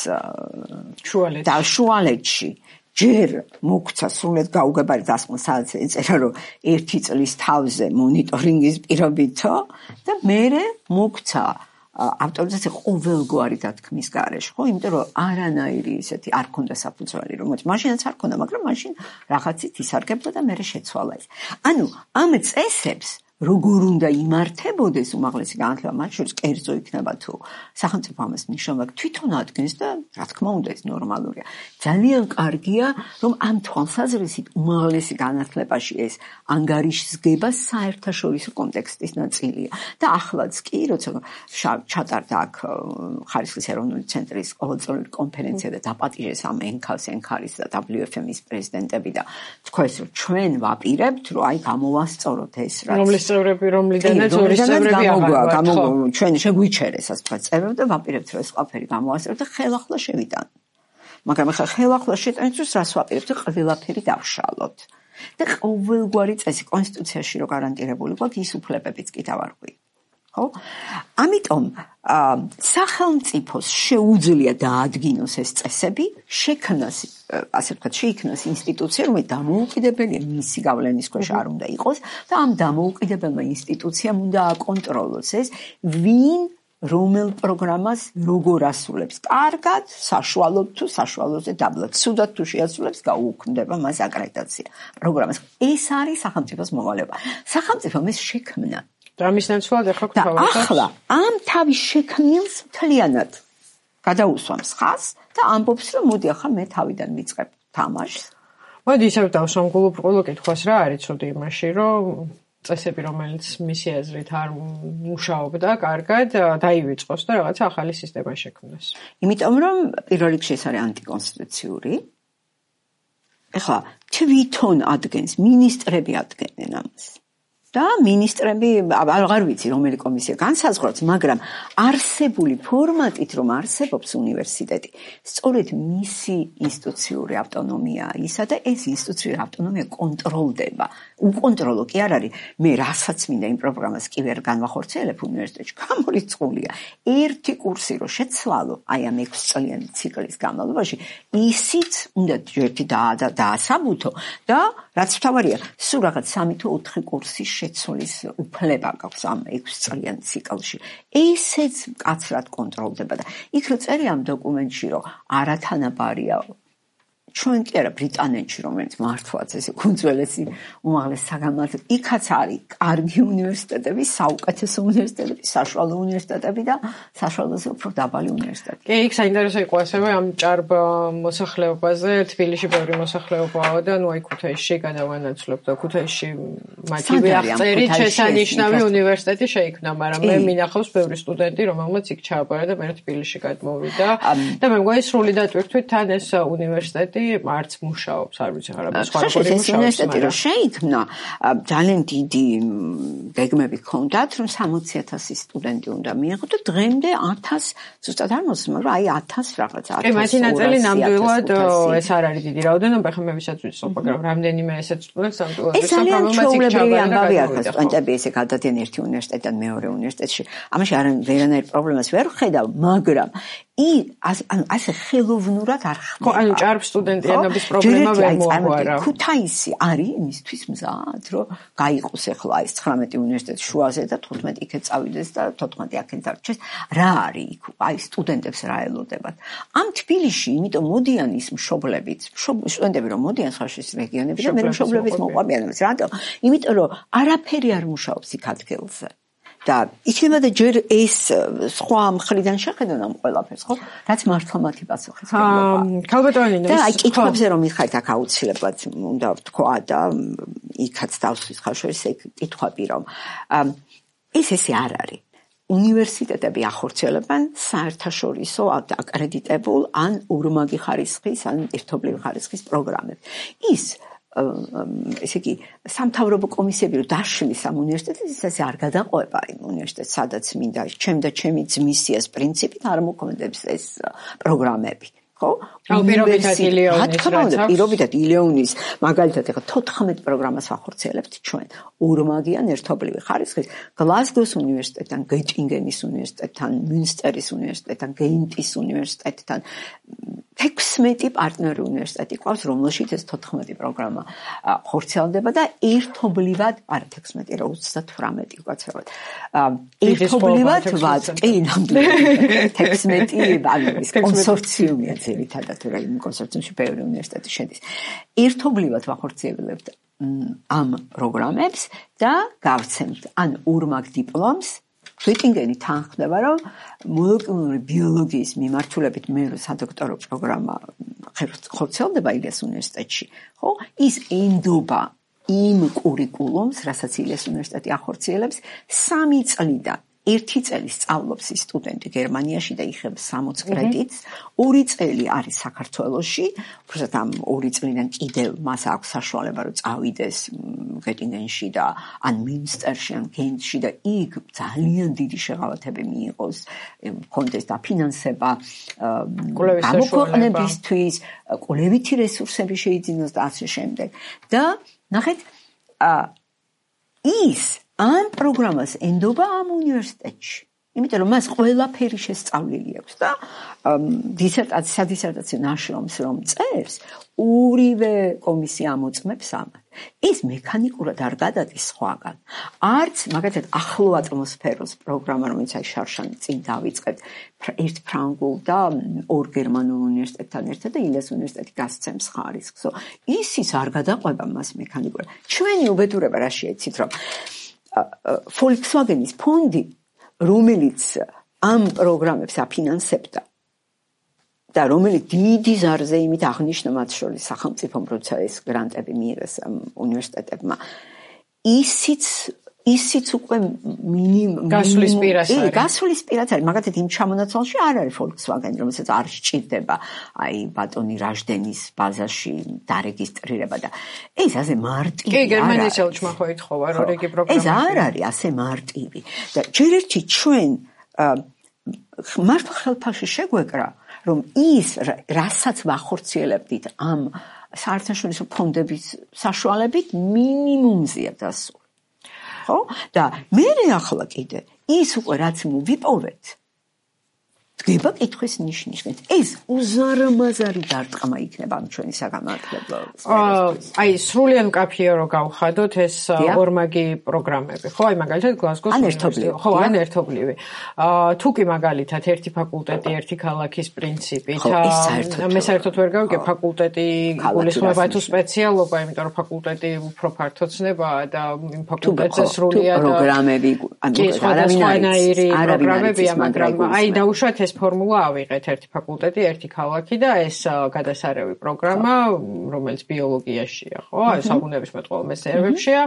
შუალედში ჯერ მოგცა სრულად გაუგებარი დასკვნა, სადაც ეწერა, რომ 1 წლის თავზე მონიტორინგის პირობითო და მერე მოგცა ავტორიზაცია ყოველგვარი დათქმის გარეშე, ხო? იმიტომ რომ არანაირი ისეთი არ ქონდა საფუძველი, რომელიც მაშინაც არ ქონდა, მაგრამ მაშინ რაღაცით ისარგებდა და მერე შეცვალა ის. ანუ ამ წესებს როგორ უნდა იმართებოდეს უმაღლესი განათლება, მათ შორის კერძო იქნება თუ სახელმწიფო ამას მნიშვნელოვნად თვითონ ადგენს და რა თქმა უნდა ეს ნორმალურია. ძალიან კარგია, რომ ამ თვალსაზრისით უმაღლესი განათლებაში ეს ანგარიშსგება საერთაშორისო კონტექსტის ნაწილია. და ახლაც კი, როცა ჩატარდა აქ ხარისხის ეროვნული ცენტრის ყოველწლიური კონფერენცია და დაპატიჟეს ამ ენქარის და WFM-ის პრეზიდენტები და თქვეს, რომ ჩვენ ვაპირებთ, რომ აი გამოვასწოროთ ეს რაც წევრები, რომლიდანაც ორი წევრები აღარ ჩვენ შეგვიჩერეს ასე ვთქვათ წევრები და ვაპირებთ რომ ეს ყველაფერი გამოვასწოროთ და ხელახლა შევიტანოთ. მაგრამ ახლა ხელახლა შეტანისთვის რას ვაპირებთ? ყველაფერი დავშალოთ. და ყოველგვარი წესი კონსტიტუციაში რო გარანტირებული გვაქვს, ის უფლებებიც კი დავარღვიოთ. ხო? ამიტომ სახელმწიფოს შეუძლია დაადგინოს ეს წესები, შექმნას, ასე ვთქვათ, შეიქმნას ინსტიტუცია, რომელიც დამოუკიდებელია, მისი გავლენის ქვეშ არ უნდა იყოს და ამ დამოუკიდებელმა ინსტიტუციამ უნდა აკონტროლოს ეს, ვინ რომელ პროგრამას როგორ ასრულებს. კარგად, საშუალოდ თუ საშუალოზე დაბლად. ცუდად თუ შეასრულებს, გაუქმდება მას აკრედიტაცია პროგრამას. ეს არის სახელმწიფოს მოვალეობა. სახელმწიფომ ეს შექმნა და ამის ნაცვლად ახლა გვთავაზობთ. ახლა ამ თავის შექმნილს მთლიანად გადაუსვამს ხაზს და ამბობს, რომ მოდი ახლა მე თავიდან ვიწყებ თამაშს. მოდი ისევ დავსამგულობ ყოველ კითხვას რა არის ცუდი იმაში, რომ წესები, რომელიც მისი აზრით არ მუშაობდა კარგად, დაივიწყოს და რაღაცა ახალი სისტემა შექმნას. იმიტომ რომ პირველ რიგში ეს არის ანტიკონსტიტუციური. ეხლა თვითონ ადგენს, მინისტრები ადგენენ ამას. და მინისტრები აღარ ვიცი რომელი კომისია განსაზღვრავს, მაგრამ არსებული ფორმატით რომ არსებობს უნივერსიტეტი, სწორედ მისი ინსტიტუციური ავტონომია ისა და ეს ინსტიტუციური ავტონომია კონტროლდება. უკონტროლო კი არ არის, მე რასაც მინდა იმ პროგრამას კი ვერ განვახორციელებ უნივერსიტეტში, გამორიცხულია. ერთი კურსი რომ შეცვალო, აი ამ 6 წლიანი ციკლის განმავლობაში, ისიც უნდა ერთი დაასაბუთო და რაც თავარია, სულ რაღაც 3 თუ 4 კურსი შეცვლის უფლება გაქვს ამ 6 წლიან ციკლში. ესეც მკაცრად კონტროლდება და იქ რო წერია ამ დოკუმენტში, რომ არათანაბარია ჩვენ კი არა ბრიტანეთში, რომელიც მართლაც ეს უძველესი უმაღლესი საგანმანათლებლო, იქაც არის კარგი უნივერსიტეტები, საუკეთესო უნივერსიტეტები, საშუალო უნივერსიტეტები და საშუალოზე უფრო დაბალი უნივერსიტეტები. კი, იქ საინტერესო იყო ასევე ამ ჭარბ მოსახლეობაზე, თბილისში ბევრი მოსახლეობაა და ნუ აი ქუთაისში გადავანაცვლებ და ქუთაისში მათივე აღწერით შესანიშნავი უნივერსიტეტი შეიქმნა, მაგრამ მე მინახავს ბევრი სტუდენტი, რომელმაც იქ ჩააბარა და მე თბილისში გადმოვიდა და მე მგონი სრული დატვირთვით თან ეს უნივერსიტეტი არც მუშაობს, არ ვიცი, არა სხვა როგორი მუშაობს. უნივერსიტეტი რომ შეიქმნა, ძალიან დიდი გეგმები ჰქონდათ, რომ 60,000 სტუდენტი უნდა მიეღო და დღემდე 1000 ზუსტად არ მოსმენ, მაგრამ აი 1000 რაღაც 1000. კი, მათი ნაწილი ნამდვილად ეს არ არის დიდი რაოდენობა, ხომ მე ვისაც ვიცხობ, მაგრამ რამდენიმე ესეთ სტუდენტს ნამდვილად ეს ძალიან ჩვეულებრივი ამბავია, ხა სტუდენტები ესე გადადიან ერთი უნივერსიტეტიდან მეორე უნივერსიტეტში. ამაში ვერანაირ პრობლემას ვერ ხედავ, მაგრამ ასე ხელოვნურად არ ხდება. ხო, ანუ ჭარბ სტუდენტიანობის პრობლემა ვერ მოაგვარა. ქუთაისი არის იმისთვის მზად, რომ გაიყოს ახლა ეს 19 უნივერსიტეტი შუაზე და 15 იქეთ წავიდეს და 14 აქეთ დარჩეს. რა არის იქ? აი სტუდენტებს რა ელოდებათ. ამ თბილისში, იმიტომ მოდიან ის მშობლებიც, სტუდენტები რომ მოდიან ხაშის რეგიონებში და მე მშობლებიც მოყვებიან. რატომ? იმიტომ რომ არაფერი არ მუშაობს იქ ადგილზე. და იქნება და ჯერ ეს სხვა მხრიდან შეხედონ ამ ყველაფერს, ხო? რაც მართლა მათი პასუხისმგებლობა. ქალბატონინო, და აი კითხვებზე რომ მიხართ აქ აუცილებლად უნდა ვთქვა და იქაც დავსვით ხალხს ეგ კითხვები რომ ესე არ არის. უნივერსიტეტები ახორციელებენ საერთაშორისო აკრედიტებულ ან ორმაგი ხარისხის ან ერთობლივი ხარისხის პროგრამებს. ის ესე იგი სამთავრობო კომისიები რომ დაშლის ამ უნივერსიტეტს ესე არ გადაყვება იმ უნივერსიტეტს სადაც მინდა ჩემი ძმისიას პრინციპით არ მოქმედებს ეს პროგრამები ხო? პირობითად ილეონის მაგალითად ეხლა 14 პროგრამას ვახორციელებთ ჩვენ ორმაგიან ერთობლივი ხარისხის გლასგოს უნივერსიტეტთან, გეტინგენის უნივერსიტეტთან, მუნსტერის უნივერსიტეტთან, გეინტის უნივერსიტეტთან 16 პარტნიორი უნივერსიტეტი ყავს, რომელშიც ეს 14 პროგრამა ხორციელდება და ერთობლივად, არა 16, რა 38 უკაცრავად. ერთობლივად ვაწყი ნამდვილად 16 ბანკის კონსორციუმია ძირითადად, რა იმ კონსორციუმში ბევრი უნივერსიტეტი შედის. ერთობლივად ვახორციელებთ ამ პროგრამებს და გავცემთ ან ორმაგ დიპლომს. გეტინგენი თანხმდება, რომ მოლეკულური ბიოლოგიის მიმართულებით მე სადოქტორო პროგრამა ხორციელდება ილიას უნივერსიტეტში, ხო? ის ენდობა იმ კურიკულუმს, რასაც ილიას უნივერსიტეტი ახორციელებს 3 წლიდან. 1 წელი სწავლობს ის სტუდენტი გერმანიაში და იღებს 60 კრედიტს, 2 წელი არის საქართველოში, უბრალოდ ამ 2 წლიდან კიდევ მას აქვს საშუალება რომ წავიდეს გეტინგენში და ან მინსტერში ან გენტში და იქ ძალიან დიდი შეღავათები მიიღოს, კონდეს დაფინანსება გამოქვეყნებისთვის, კვლევითი რესურსები შეიძინოს და ასე შემდეგ. და ნახეთ, ის ამ პროგრამას ენდობა ამ უნივერსიტეტში. იმიტომ რომ მას ყველაფერი შესწავლილი აქვს და სადისერტაციო ნაშრომს რომ წერს, ორივე კომისია ამოწმებს ამას. ეს მექანიკურად არ გადადის სხვაგან. არც მაგალითად ახლო ატმოსფეროს პროგრამა, რომელიც აი შარშანი წინ დავიწყებთ, ერთ ფრანგულ და ორ გერმანულ უნივერსიტეტთან ერთად და ილიას უნივერსიტეტი გასცემს ხარისხს. ისიც არ გადაყვება მას მექანიკურად. ჩვენი უბედურება რა შეეცით, რომ Volkswagen-ის ფონდი, რომელიც ამ პროგრამებს აფინანსებდა და რომელიც დიდი ზარზე იმით აღნიშნა მათ შორის სახელმწიფომ, როცა ეს გრანტები მიიღეს ამ უნივერსიტეტებმა, ისიც უკვე გასulis პირას არის. გასulis პირას არის. მაგათაც იმ ჩამონაცვალში არ არის Volkswagen, რომელსაც არ სჭირდება აი ბატონი რაჟდენის ბაზაში დარეგისტრირება და ეს ასე მარტივი კი, გერმანიის ელჩმა ხო ითხოვა, რომ რიგი პროგრამა. ეს არ არის ასე მარტივი. და ჯერ ერთი ჩვენ მართლა ხელფაში შეგვეკრა, რომ ის რასაც ვახორციელებდით ამ საერთაშორისო ფონდების საშუალებით მინიმუმზეა დასული. ხო? და მე ახლა კიდე ის უკვე რაც მოვიპოვეთ დგება კითხვის ნიშნით. ეს უზარმაზარი დარტყმა იქნება ამ ჩვენი საგამართლებლო სფეროსთვის. აი სრულიად მკაფიო რო გავხადოთ ეს ორმაგი პროგრამები, ხო? აი მაგალითად გლასგოს უნივერსიტეტი, ხო, ან ერთობლივი. თუ კი მაგალითად ერთი ფაკულტეტი, ერთი ქალაქის პრინციპით, მე საერთოდ ვერ გავიგებ ფაკულტეტი გულისხმობა თუ სპეციალობა, იმიტომ რომ ფაკულტეტი უფრო ფართო ცნებაა და იმ ფაკულტეტზე სრულიად პროგრამები, არავინაირი პროგრამებია, მაგრამ აი დაუშვათ ეს ფორმულა ავიღეთ ერთი ფაკულტეტი, ერთი ქალაქი და ეს გადასარევი პროგრამა, რომელიც ბიოლოგიაშია, ხო? საბუნებისმეტყველო მეცნიერებებშია,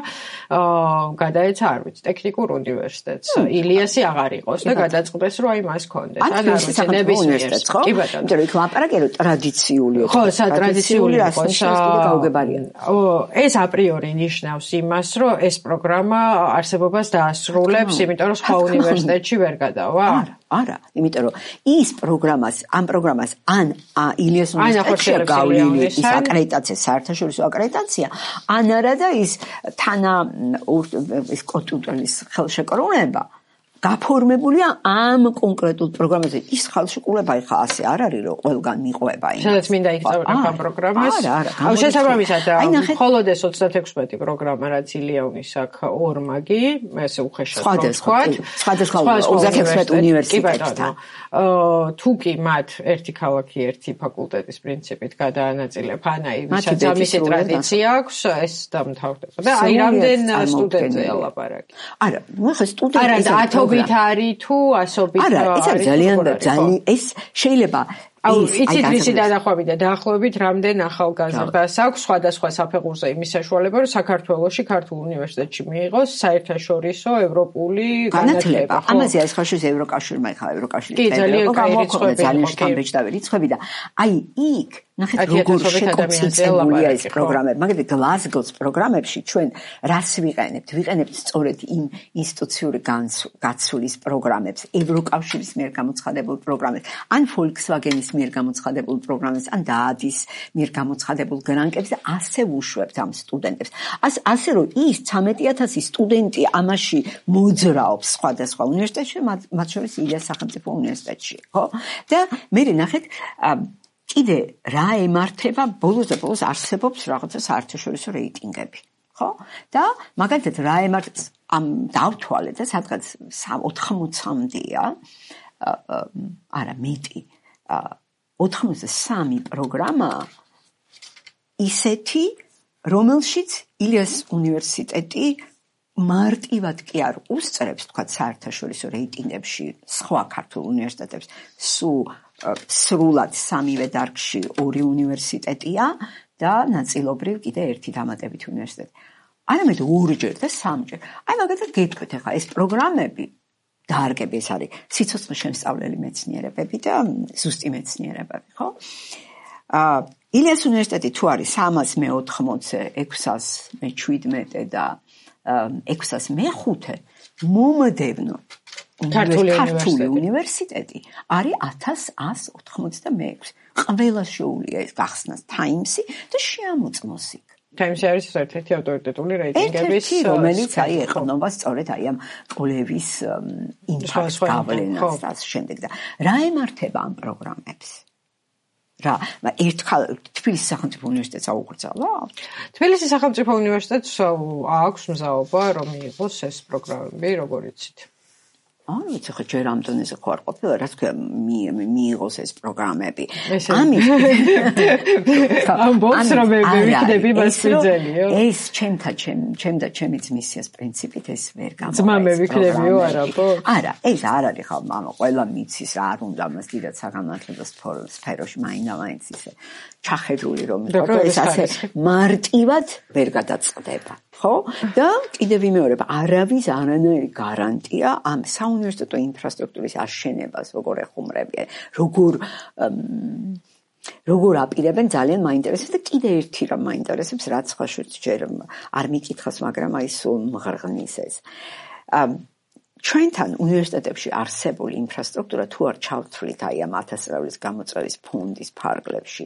გადაეცა არ ვიცი, ტექნიკურ უნივერსიტეტს. ილიასი აღარ იყოს და გადაწყდეს, რომ აი მას ჰქონდეს. ან არ ვიცი, ნებისმიერს, ხო? იმიტომ რომ იქ ლაპარაკია, რომ ტრადიციული ხო, სატრადიციული გაუგებარია. ეს აპრიორი ნიშნავს იმას, რომ ეს პროგრამა არსებობას დაასრულებს, იმიტომ რომ სხვა უნივერსიტეტში ვერ გადავა. არა, იმიტომ რომ ის ამ პროგრამას ან ილიას უნივერსიტეტში გავლილი ის აკრედიტაცია, საერთაშორისო აკრედიტაცია, ან არა და ის ის კოტუტელის ხელშეკრულება გაფორმებულია ამ კონკრეტულ პროგრამაზე. ის ხელშეკრულება ხა ასე არ არის, რომ ყველგან მიყვება იმას. სადაც მინდა იქცევა ამ პროგრამას. არა. შესაბამისად, მხოლოდ ეს 36 პროგრამა, რაც ილიაუნის აქვს ორმაგი, ესე უხეშად სხვადასხვა 36 უნივერსიტეტთან. თუ კი მათ ერთი ქალაქი, ერთი ფაკულტეტის პრინციპით გადაანაწილებ, ანაი ვისაც ამისი ტრადიცია აქვს, ეს დამთავრდება. და აი რამდენ სტუდენტია ლაპარაკი. არა, ნუ ხა სტუდენტი ობით არის თუ ასობით არა, ეს არის ძალიან ეს შეიძლება იცით რისი დანახვები და დაახლოებით რამდენ ახალგაზრდას აქვს სხვადასხვა საფეხურზე იმის საშუალება, რომ საქართველოში ქართულ უნივერსიტეტში მიიღოს საერთაშორისო ევროპული განათლება. ამაზე არის ხაშურის ევროკავშირმა ხა ევროკავშირი ძალიან შთამბეჭდავი რიცხვები და აი იქ ნახეთ როგორ შეკონცენტრებულია ეს პროგრამები. მაგალითად გლასგოს პროგრამებში ჩვენ რას ვიყენებთ? ვიყენებთ სწორედ იმ ინსტიტუციური გაცვლის პროგრამებს, ევროკავშირის მიერ გამოცხადებულ პროგრამებს, ან Volkswagen-ის მიერ გამოცხადებულ პროგრამებს, ან დაადის მიერ გამოცხადებულ გრანტებს და ასე ვუშვებთ ამ სტუდენტებს. ასე რომ ის 13000 სტუდენტი ამაში მოძრაობს სხვადასხვა უნივერსიტეტში, მათ შორის ილიას სახელმწიფო უნივერსიტეტში, ხო? და მე ნახეთ კიდე რა ემართება ბოლოს არსებობს რაღაცა საერთაშორისო რეიტინგები, ხო? და მაგალითად რა ემართება ამ დავთვალეთ და სადღაც 80-მდეა, არა მეტი 83 პროგრამა ისეთი, რომელშიც ილიას უნივერსიტეტი მარტივად კი არ უსწრებს, თქვა საერთაშორისო რეიტინგებში სხვა ქართულ უნივერსიტეტებს, სრულად სამივე დარგში 2 უნივერსიტეტია და ნაწილობრივ კიდე ერთი დამატებით უნივერსიტეტი. არამედ 2-ჯერ და 3-ჯერ. აი მაგალითად გეტყვით ახლა ეს პროგრამები დარგები ეს არის სიცოცხლის შემსწავლელი მეცნიერებები და ზუსტი მეცნიერებები, ხო? ილიას უნივერსიტეტი თუ არის 380-ზე, 617 და 605 მომდევნო ქართული უნივერსიტეტი არის 1186. ყველა შეუძლია ეს გახსნას Times-ი და შეამოწმოს იქ. Times-ი არის ერთ-ერთი ავტორიტეტული რეიტინგების, რომელიც აი ეყნობა სწორედ აი ამ კოლევის იმპაქტს გავლენას და შემდეგ და რა ემართება ამ პროგრამებს? თბილისის სახელმწიფო უნივერსიტეტს აუკრძალა? თბილისის სახელმწიფო უნივერსიტეტს აქვს მზაობა, რომ მიიღოს ეს პროგრამები, როგორ იცით? არ ვიცი, ხო ჯერ ამ დონეზე ხო არ ყოფილა, რაც ქვია მიიღოს ეს პროგრამები. ამის ამბობს რომ მე ვიქნები მასწავლებლიო. ეს ჩემი ძმისის პრინციპით ეს ვერ გამოვა. ძმა მე ვიქნებიო არა ხო? არა, ეს არ არის ხო, მამა ყველა მიცის რა არ უნდა მას დიდად საგამართლებლო სფეროში მაინც ისე ჩახედული რომ ეს ასე მარტივად ვერ გადაწყდება. ხო? და კიდევ ვიმეორებ, არავის არანაირი გარანტია ამ საუნივერსიტეტო ინფრასტრუქტურის აშენებას როგორ ეხუმრებიან, როგორ აპირებენ ძალიან მაინტერესებს და კიდე ერთი რამ მაინტერესებს, რაც ხაშუც ჯერ არ მიკითხავს, მაგრამ აი სულ მღრღნის ეს. ჩვენთან უნივერსიტეტებში არსებული ინფრასტრუქტურა თუ არ ჩავთვლით აი ამ 1000 წლის გამოწვევის ფონდის ფარგლებში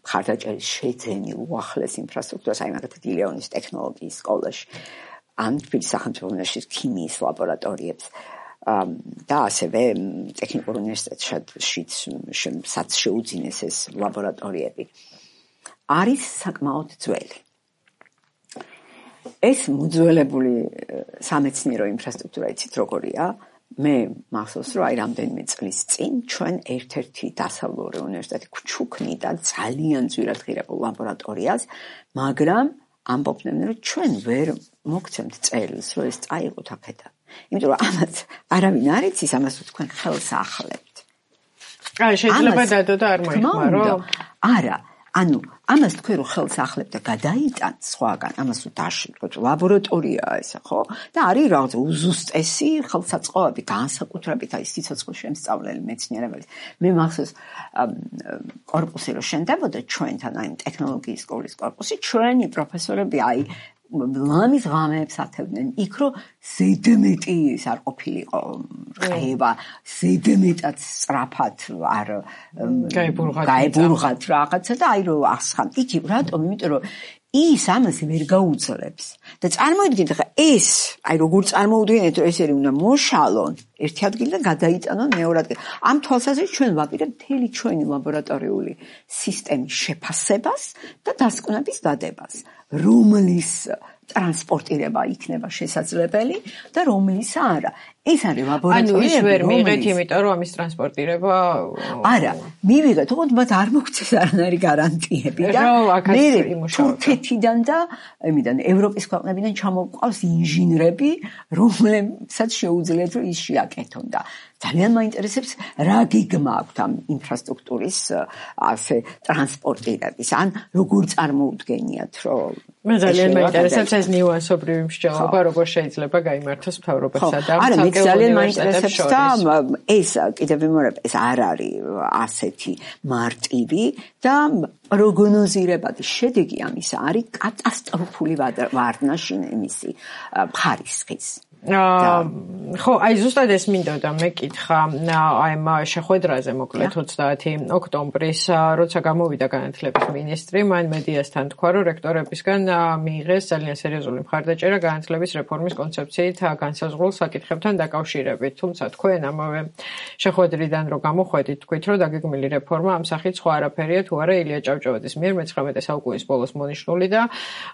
ხარდაჭერის შეძენი უახლეს ინფრასტრუქტურას, აი მაგათად ილეონის ტექნოლოგიის სკოლაში, ან თბილისის სახელმწიფო უნივერსიტეტის ქიმიის ლაბორატორიებს და ასევე ტექნიკურ უნივერსიტეტშიც სადაც შეუძინეს ეს ლაბორატორიები. არის საკმაოდ ძველი. ეს მოძველებული სამეცნიერო ინფრასტრუქტურა იცით როგორია? მე მახსოვს რომ აი რამდენიმე წლის წინ ჩვენ ერთ-ერთი დასავლური უნივერსიტეტი გვჩუქნიდა ძალიან ძვირად ღირებულ ლაბორატორიას, მაგრამ ამბობდნენ რომ ჩვენ ვერ მოგცემთ წერილს რომ ეს წაიღოთ აქედან. იმიტომ რომ ამას არავინ არ იცის, ამას თქვენ ხელს ახლებთ. შეიძლება დადო და არ მოიხმარო? არა. ანუ ამას თქვენ რო ხელს ახლებთ და გადაიტანთ სხვაგან, ამას რო დაშიფროთ, ლაბორატორიაა ესა, ხო? და არის რაღაც უზუსტესი ხელსაწყოები, განსაკუთრებით აი სიცოცხლის შემსწავლელი მეცნიერებელი. მე მახსოვს კორპუსი რო შენდებოდა ჩვენთან, აი ტექნოლოგიის სკოლის კორპუსი, ჩვენი პროფესორები აი ლამის ღამეებს ათევდნენ იქ რომ ზედმეტი ის არ ყოფილიყო რყევა, ზედმეტად სწრაფად არ გაებურღათ რაღაცა და აი რომ ასხან. იცი რატომ? იმიტომ რომ ის ამას ვერ გაუძლებს. და წარმოიდგინეთ ხა ეს, აი როგორ წარმოუდგენთ რომ ეს უნდა მოშალონ ერთი ადგილიდან გადაიტანონ მეორე ადგილ. ამ თვალსაზრისით ჩვენ ვაპირებთ მთელი ჩვენი ლაბორატორიული სისტემის შეფასებას და დასკვნების დადებას, რომლის ტრანსპორტირება იქნება შესაძლებელი და რომლის არა. ეს არის ლაბორატორიები. ანუ ის ვერ მიიღეთ, იმიტომ რომ ამის ტრანსპორტირება არა, მივიღეთ, თუმცა მათ არ მოგცეს არანაირი გარანტიები და მე თურქეთიდან და იმიდან ევროპის ქვეყნებიდან ჩამოყავს ინჟინრები, რომლებსაც შეუძლიათ რომ ის შეაკეთონ და ძალიან მაინტერესებს რა გეგმა აქვთ ამ ინფრასტრუქტურის ასე ტრანსპორტირების, ან როგორ წარმოუდგენიათ რომ მე ძალიან მაინტერესებს ეს ნიუანსობრივი მსჯელობა, როგორ შეიძლება გაიმართოს მთავრობასა და ძალიან მაინტერესებს და ეს კიდევ ვიმეორებ, ეს არ არის ასეთი მარტივი და პროგნოზირებადი შედეგი ამის არის კატასტროფული ვარდნაში იმისი ხარისხის. ხო, აი ზუსტად ეს მინდოდა მეკითხა აი ამ შეხვედრაზე მოკლედ 30 ოქტომბრის, როცა გამოვიდა განათლების მინისტრი, მან მედიასთან თქვა, რომ რექტორებისგან მიიღეს ძალიან სერიოზული მხარდაჭერა განათლების რეფორმის კონცეფციით განსაზღვრულ საკითხებთან დაკავშირებით. თუმცა თქვენ ამავე შეხვედრიდან რო გამოხვედით, თქვით, რომ დაგეგმილი რეფორმა ამ სახით სხვა არაფერია თუ არა ილია ჭავჭავაძის მიერ მე-19 საუკუნის ბოლოს მონიშნული და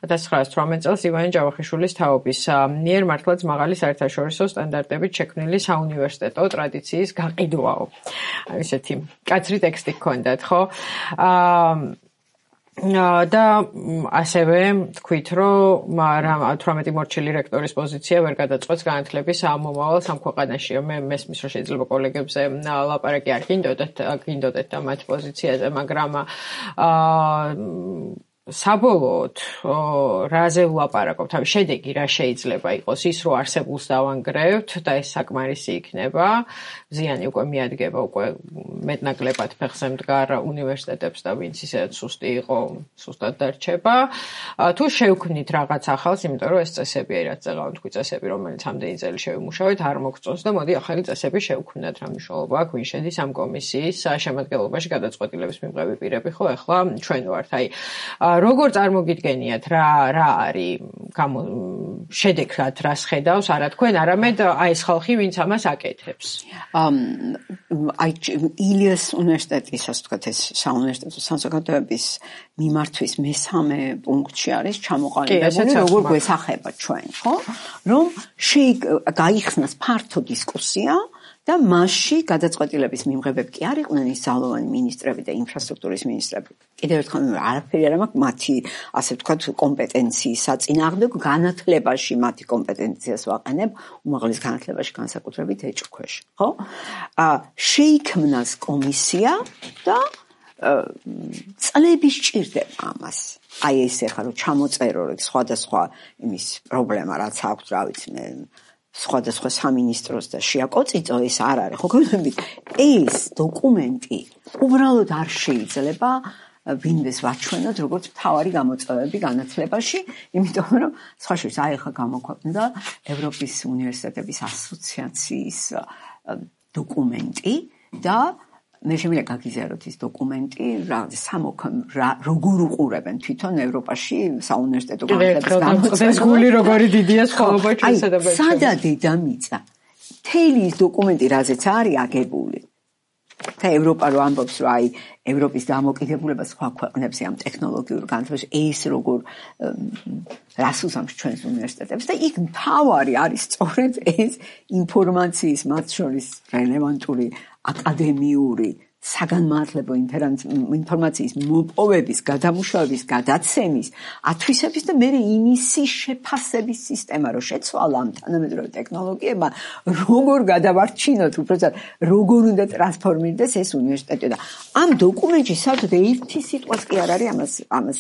1918 წელს ივანე ჯავახიშვილის თაობის მიერ მართლაც მაღალი საერთაშორისო სტანდარტებით შექმნილი საუნივერსიტეტო ტრადიციის გაყიდვაო. ესეთი კაცრი ტექსტი გქონდათ, ხო? და ასევე თქვით, რომ 18 მორჩილი რექტორის პოზიცია ვერ გადაწყვეტს განათლების მომავალს ამ ქვეყანაში. მე მესმის, რომ შეიძლება კოლეგებზე ლაპარაკი არ გინდოდეთ და მათ პოზიციაზე, მაგრამ საბოლოოდ რაზე ვლაპარაკობთ? თავი შედეგი რა შეიძლება იყოს? ის რომ არსებულს დავანგრევთ და ეს საკმარისი იქნება, ზიანი უკვე მიადგება, უკვე მეტნაკლებად ფეხზე მდგარ უნივერსიტეტებს და ვინც ისედაც სუსტი იყო, სუსტად დარჩება. თუ შევქმნით რაღაც ახალს, იმიტომ რომ ეს წესები რაც წეღავთ, თქვი წესები, რომელიც ამდენი წელი შევიმუშავეთ, არ მოგწონს და მოდი ახალი წესები შევქმნათ. რა მნიშვნელობა აქვს, ვინ შედის ამ კომისიის შემადგენლობაში, გადაწყვეტილების მიღები პირები, ხო, ახლა ჩვენ ვართ. აი როგორ წარმოგიდგენიათ რა არის შედეგად რას ხედავს არა თქვენ არამედ აი ეს ხალხი ვინც ამას აკეთებს აი ილიას უნივერსიტეტის ასე ვთქვათ ეს საუნივერსიტეტო საზოგადოების მიმართვის მესამე პუნქტში არის ჩამოყალიბებული როგორ გვესახება ჩვენ ხო რომ გაიხსნას ფართო დისკუსია და მასში გადაწყვეტილების მიმღებები კი არ იყვნენ ის ძალოვანი მინისტრები და ინფრასტრუქტურის მინისტრები. კიდევ ერთხელ არაფერი არ მაქვს მათი, ასე ვთქვათ, კომპეტენციის საწინააღმდეგო განათლებაში მათი კომპეტენციას ვაყენებ, უმაღლეს განათლებაში განსაკუთრებით ეჭქვეშ, ხო? შეიქმნას კომისია და წლები სჭირდება ამას. აი ეს ახლა რომ ჩამოწერო სხვადასხვა იმის პრობლემა რაც აქვს, რა ვიცი მე სხვადასხვა სამინისტროს და შეაკოწიწო ეს არ არის. ხო გონებით ეს დოკუმენტი უბრალოდ არ შეიძლება ვინმეს ვაჩვენოთ როგორც მთავარი გამოწვევები განათლებაში, იმიტომ რომ სხვა შორის აი ახლა გამოქვეყნდა ევროპის უნივერსიტეტების ასოციაციის დოკუმენტი და მე შემიძლია გაგიზიაროთ ეს დოკუმენტი, როგორ უყურებენ თვითონ ევროპაში საუნივერსიტეტო განათლების გამოწვევებს. გული როგორი დიდია სხვაობა ჩვენსა და ბეჭდებში. სადა დედამიწა. მთელი ის დოკუმენტი რაზეც არის აგებული. და ევროპა რო ამბობს, რომ აი ევროპის დამოკიდებულება სხვა ქვეყნებზე ამ ტექნოლოგიურ განათლებაში ეს როგორ რას უსამს ჩვენს უნივერსიტეტებს და იქ მთავარი არის სწორედ ეს ინფორმაციის მათ შორის რელევანტური აკადემიური საგანმანათლებლო ინფორმაციის მოპოვების, გადამუშავების, გადაცემის, ათვისების და მერე იმისი შეფასების სისტემა, რომ შეცვალა ამ თანამედროვე ტექნოლოგიებმა, როგორ გადავარჩინოთ, უბრალოდ როგორ უნდა ტრანსფორმირდეს ეს უნივერსიტეტი და ამ დოკუმენტში საერთოდ ერთი სიტყვაც კი არ არის ამას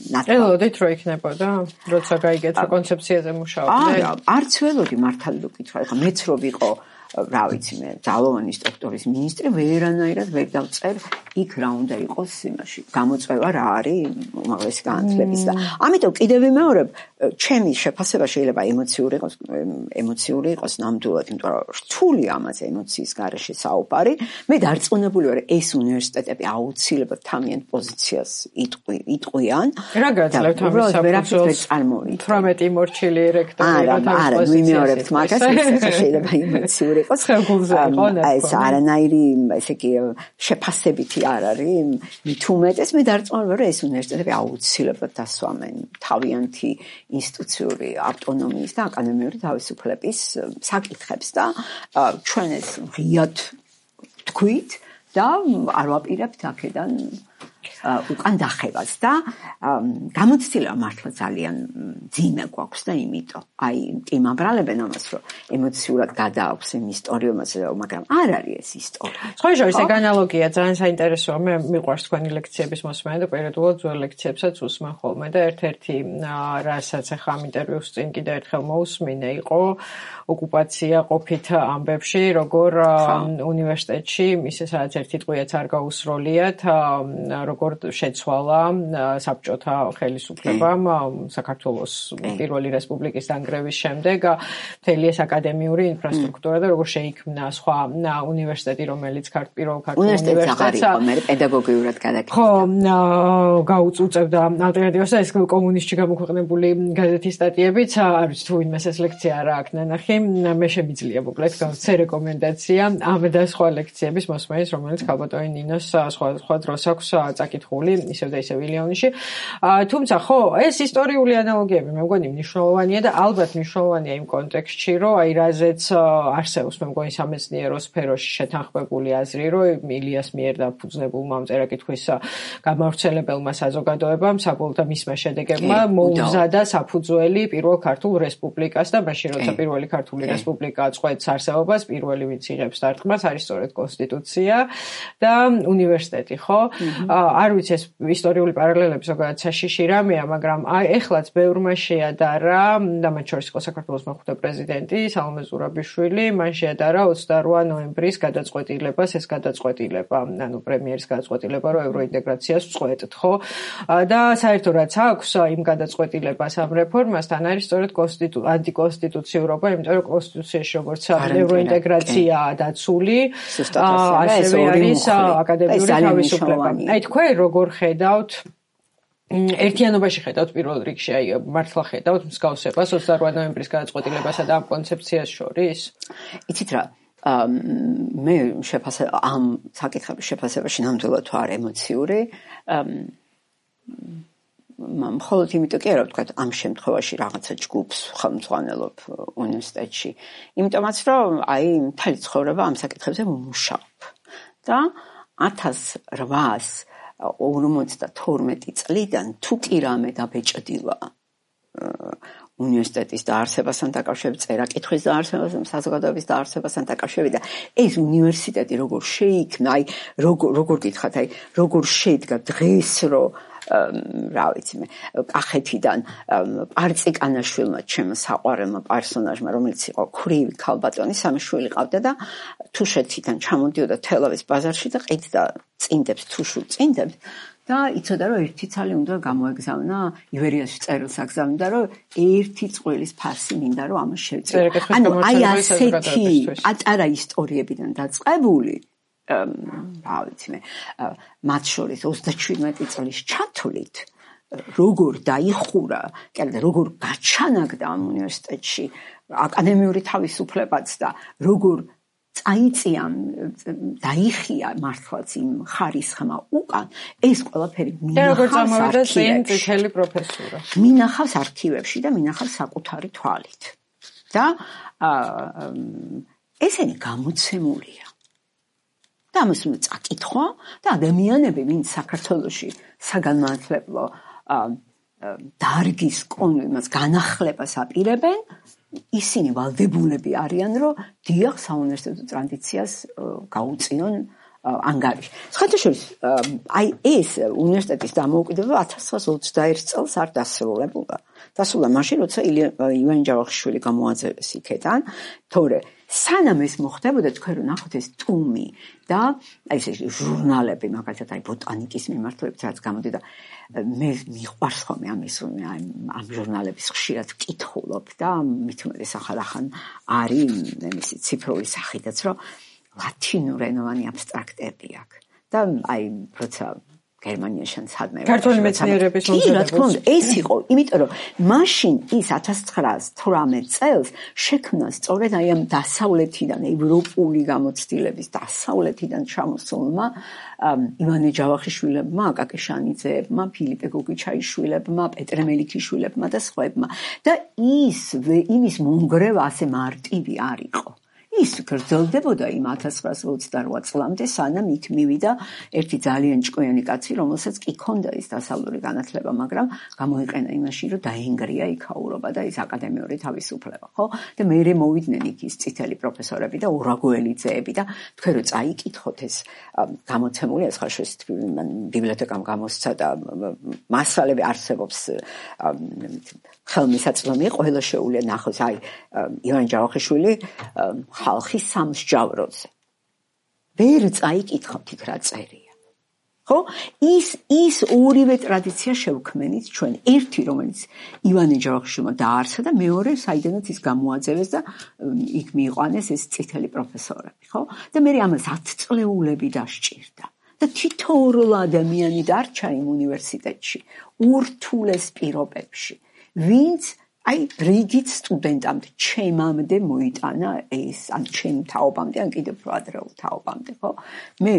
ნათქვამი. ელოდით რო იქნებოდა, როცა გაიგეთ რა კონცეფციაზე მუშაობდნენ. არა, არც ველოდი მართალი რო კითხვა, ხა მეც რო ვიყო რა ვიცი მე ძალოვანი სტრუქტურის მინისტრი ვერანაირად ვერ დავწერ იქ რა უნდა იყოს იმაში გამოწვევა რა არის უმაღლესი განათლების და ამიტომ კიდევ ვიმეორებ ჩემი შეფასება შეიძლება ემოციური იყოს ნამდვილად იმიტომ რომ რთული ამაზე ემოციის გარეშე საუბარი მე დარწმუნებული ვარ ეს უნივერსიტეტები აუცილებლად თავიანთ პოზიციას იტყვიან რა გაძლევთ ამის საფუძველს 18 მორჩილი რექტორი რა თავის პოზიციას ვიმეორებთ მაგას შეიძლება ემოციური იყოს ეს არანაირი ესე იგი შეფასებითი არ არის მით უმეტეს მე დარწმუნებული ვარ ეს უნივერსიტეტები აუცილებლად დასვამენ თავიანთი ინსტიტუციური ავტონომიის და აკადემიური თავისუფლების საკითხებს და ჩვენ ეს ღიად თქვით და არ ვაპირებთ აქედან უკან დახევას და გამოცდილება მართლა ძალიან ძიმე გვაქვს და იმიტომ აი იმაბრალებენ ამას რომ ემოციურად გადააქვს იმ ისტორიომას მაგრამ არ არის ეს ისტორია. სხვა შორის ეგ ანალოგია ძალიან საინტერესოა მე მიყვარს თქვენი ლექციების მოსმენა და პერიოდულად ძველ ლექციებსაც უსმენ ხოლმე და ერთ-ერთი რასაც ახლა ამ ინტერვიუს წინ კიდე ერთხელ მოусმინე იყო ოკუპაცია ყოფით ამბებში როგორ უნივერსიტეტში ისე სადაც ერთი ტყვიაც არ გაუსროლიათ როგორ შეცვალა საბჭოთა ხელისუფლებამ საქართველოს პირველი რესპუბლიკის დანგრევის შემდეგ მთელი ეს აკადემიური ინფრასტრუქტურა და როგორ შეიქმნა სხვა უნივერსიტეტი რომელიც პირველ ქართულ უნივერსიტეტს პედაგოგიურად გადაკეთდა. ხო, გაუწუწევდა ალტერნატივას და ეს კომუნისტში გამოქვეყნებული გაზეთის სტატიებიც არ ვიცი თუ ვინმეს ეს ლექცია არ აქვს ნანახი მე შემიძლია მოკლედ გავცე რეკომენდაცია ამ და სხვა ლექციების მოსმენის რომელიც ქალბატონი ნინოს სხვა დროს აქვს წაკითხული ისევ და ისევ ვილიონში. თუმცა ხო, ეს ისტორიული ანალოგიები მე მგონი მნიშვნელოვანია და ალბათ მნიშვნელოვანია იმ კონტექსტში, რომ აი რაზეც არსებობს მე მგონი სამეცნიერო სფეროში შეთანხმებული აზრი, რომ ილიას მიერ დაფუძნებულმა მწერა-კითხვის გამავრცელებელმა საზოგადოებამ საბოლოოდ და მისმა შედეგებმა მოუმზადა საფუძველი პირველ ქართულ რესპუბლიკას და მაშინ როცა პირველი ქართული რესპუბლიკა წყვეტს არსებობას, პირველი ვინც იღებს დარტყმას არის სწორედ კონსტიტუცია და უნივერსიტეტი, ხო? არ ვიცი ეს ისტორიული პარალელები ზოგადად საშიში რამეა, მაგრამ ეხლაც ბევრმა შეადარა და მათ შორის იყო საქართველოს მეხუთე პრეზიდენტი სალომე ზურაბიშვილი, მან შეადარა 28 ნოემბრის გადაწყვეტილებას, ეს გადაწყვეტილება, ანუ პრემიერის გადაწყვეტილება, რომ ევროინტეგრაციას წყვეტთ, ხო? და საერთოდ რაც აქვს იმ გადაწყვეტილებას ამ რეფორმასთან არის სწორედ ანტიკონსტიტუციურობა, იმიტომ რომ კონსტიტუციაში როგორც ევროინტეგრაცია დაცული, ასევე არის აკადემიური თავისუფლება. აი თქვენ როგორ ხედავთ ერთიანობაში ხედავთ პირველ რიგში, აი მართლა ხედავთ მსგავსებას 28 ნოემბრის გადაწყვეტილებასა და ამ კონცეფციას შორის? იცით რა, მე ამ საკითხების შეფასებაში ნამდვილად თუ არ ემოციური, მხოლოდ იმიტომ კი არა ვთქვა ამ შემთხვევაში რაღაცა ჯგუფს ხელმძღვანელობ უნივერსიტეტში, იმიტომაც რომ აი მთელი ცხოვრება ამ საკითხებზე ვმუშაობ და 1852 წლიდან თუ კი რამე დაბეჭდილა უნივერსიტეტის დაარსებასთან დაკავშირებით, წერა-კითხვის დაარსებასთან, საზოგადოების დაარსებასთან დაკავშირებით და ეს უნივერსიტეტი როგორ შეიქმნა, როგორ გითხათ, როგორ შეიდგა დღეს, რომ რა ვიცი მე, კახეთიდან პარწიკანაშვილმა, ჩემო საყვარელმა პერსონაჟმა, რომელიც იყო ქვრივი ქალბატონი, სამი შვილი ყავდა და თუშეთიდან ჩამოდიოდა თელავის ბაზარში და ყიდდა წინდებს, თუშულ წინდებს. და იცოდა რომ ერთი ცალი უნდა გამოეგზავნა ივერიაში წერილს აგზავნიდა რომ ერთი წყვილის ფასი მინდა რომ ამას შევწიო. ანუ აი ასეთი ატარა ისტორიებიდან დაწყებული რა ვიცი მე მათ შორის 37 წლის ჩათვლით როგორ დაიხურა, კიდე როგორ გაჩანაგდა ამ უნივერსიტეტში აკადემიური თავისუფლებაც და როგორ წაიწია დაიხია მართლაც იმ ხარისხმა უკან ეს ყველაფერი მინახავს არქივებში და მინახავს საკუთარი თვალით და ესენი გამოცემულია და ამას უნდა წაკითხვა და ადამიანები ვინც საქართველოში საგანმანათლებლო დარგის იმას განახლებას აპირებენ ისინი ვალდებულები არიან, რომ დიახ საუნივერსიტეტო ტრადიციას გაუწიონ ანგარიში. სხვათაშორის, აი ეს უნივერსიტეტის დამოუკიდებლობა 1921 წელს არ დასრულებულა. დასრულდა მაშინ, როცა ივანე ჯავახიშვილი გამოაძევეს იქიდან, თორე სანამ ეს მოხდებოდა, თქვენ რომ ნახოთ ეს ტუმი და აი ეს ჟურნალები, მაგალითად აი ბოტანიკის მიმართულებით რაც გამოდიდა, მე მიყვარს ხოლმე ამ ჟურნალების ხშირად ვკითხულობ და მით უმეტეს ახალ არის იმისი ციფრული სახიდაც, რომ ლათინურენოვანი აბსტრაქტები აქვს და აი როცა გერმანიაში სადმე ქართული მეცნიერების მომზადება ეს იყო, იმიტომ რომ მაშინ ის 1918 წელს შექმნა სწორედ აი ამ დასავლეთიდან ევროპული გამოცდილების დასავლეთიდან ჩამოსულმა ივანე ჯავახიშვილებმა, აკაკი შანიძეებმა, ფილიპე გოგიჩაიშვილებმა, პეტრე მელიქიშვილებმა და სხვაებმა და იმის მომგრევა ასე მარტივი არ იყო. ის გრძელდებოდა იმ 1928 წლამდე, სანამ იქ მივიდა ერთი ძალიან ჭკვიანი კაცი, რომელსაც კი ჰქონდა ის დასავლური განათლება, მაგრამ გამოიყენა იმაში, რომ დაინგრია იქაურობა და ის აკადემიური თავისუფლება, ხო? და მერე მოვიდნენ იქ ის წითელი პროფესორები და ორაგოელიძეები და თქვენ რო წაიკითხოთ ეს გამოცემული, ეს ხაშურის ბიბლიოთეკამ გამოსცა და მასალები არსებობს ხელმისაწვდომი, ყველა შეუძლია ნახოს, აი ივანე ჯავახიშვილი ხალხის სამსჯავროზე. ვერ წაიკითხავთ იქ რა წერია. ხო? ის ორივე ტრადიცია შევქმნით ჩვენ. ერთი, რომელიც ივანე ჯავახიშვილმა დაარსა და მეორე, საიდანაც ის გამოაძევეს და იქ მიიყვანეს ეს წითელი პროფესორები, ხო? და მე ამას 10 წლეულები დასჭირდა. და თითოეულ ადამიანი დარჩა იმ უნივერსიტეტში, ურთულეს პირობებში. ვინც აი რიგით სტუდენტამდე ჩემამდე მოიტანა ეს ან ჩემ თაობამდე ან კიდევ უფრო ადრეულ თაობამდე ხო მე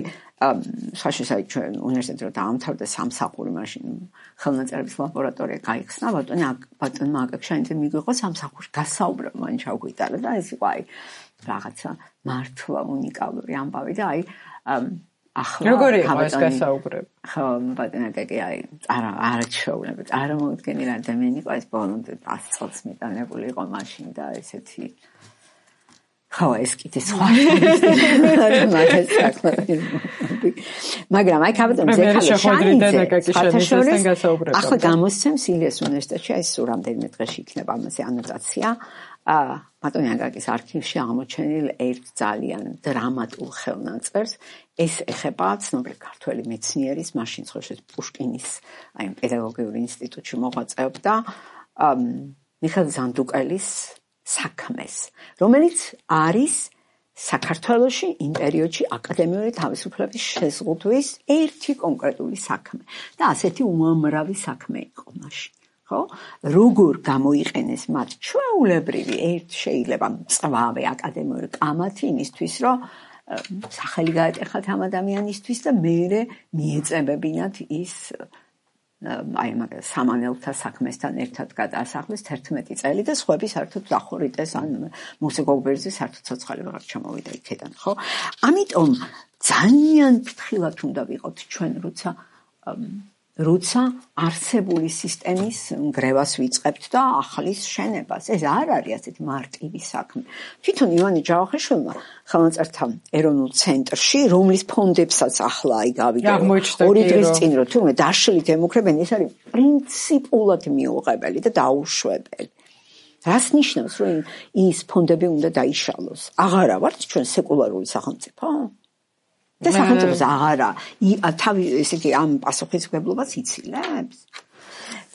საშუალო ჩვენ უნივერსიტეტში რომ დაამთავრდა სამსახური მაშინ ხელნაწერების ლაბორატორია გაიხსნა ბატონმა აკაკშანიძე მიგვიყო სამსახური გასაუბრებ მან ჩავგვიტარა და ეს იყო აი რაღაცა მართლა უნიკალური ამბავი და აი როგორი იყო ეს გასაუბრები? ხო, ბატონაკაკი აი არჩეულები, წარმოვიდგენი რა ადამიანი იყო ეს ბოლომდე 100 წელს მიტანებული იყო მაშინ და ესეთი ხო, ეს კიდე სხვა მაგრამ აი კაბატონზე ახლა გამოსცემს ილიას უნივერსიტეტში აი სულ რამდენიმე დღეში იქნება ამაზე ანოტაცია ბატონი აკაკის არქივში აღმოჩენილ ერთ ძალიან დრამატულ ხელნაწერს ეს ეხება ცნობილი ქართველი მეცნიერის მაშინ ხოშეს პუშკინის აი პედაგოგიური ინსტიტუტში მოღვაწეობდა მიხეილ ზანდუკელის საქმეს რომელიც არის საქართველოში იმ პერიოდში აკადემიური თავისუფლების შეზღუდვის ერთი კონკრეტული საქმე და ასეთი უამრავი საქმე იყო მაშინ ხო როგორ გამოიყენეს მათ ჩვეულებრივი ერთ შეიძლება მწვავე აკადემიური კამათი იმისთვის რომ სახელი გაეტეხათ ამ ადამიანისთვის და მერე მიეწებებინათ ის აი მაგ სამანელთა საქმესთან ერთად გადაასახლეს 11 წელი და სხვები საერთოდ დახორიტეს ან მუსიკოგბერძი საერთოდ ცოცხალი ვეღარ ჩამოვიდა იქიდან ხო ამიტომ ძალიან ფრთხილად უნდა ვიყოთ ჩვენ როცა როცა არსებული სისტემის ნგრევას ვიწყებთ და ახლის შენებას. ეს არ არის ასეთი მარტივი საქმე. თვითონ ივანე ჯავახიშვილმა ხელნაწერთა ეროვნულ ცენტრში, რომლის ფონდებსაც ახლა გავიდა 2 დღის წინ რომ თურმე დაშლით ემუქრებენ, ეს არის პრინციპულად მიუღებელი და დაუშვებელი. რას ნიშნავს, რომ ის ფონდები უნდა დაიშალოს? აღარა ვართ ჩვენ სეკულარული სახელმწიფო? და სახელმწიფოს აღარა თავი ესე იგი ამ პასუხისმგებლობას იცილებს.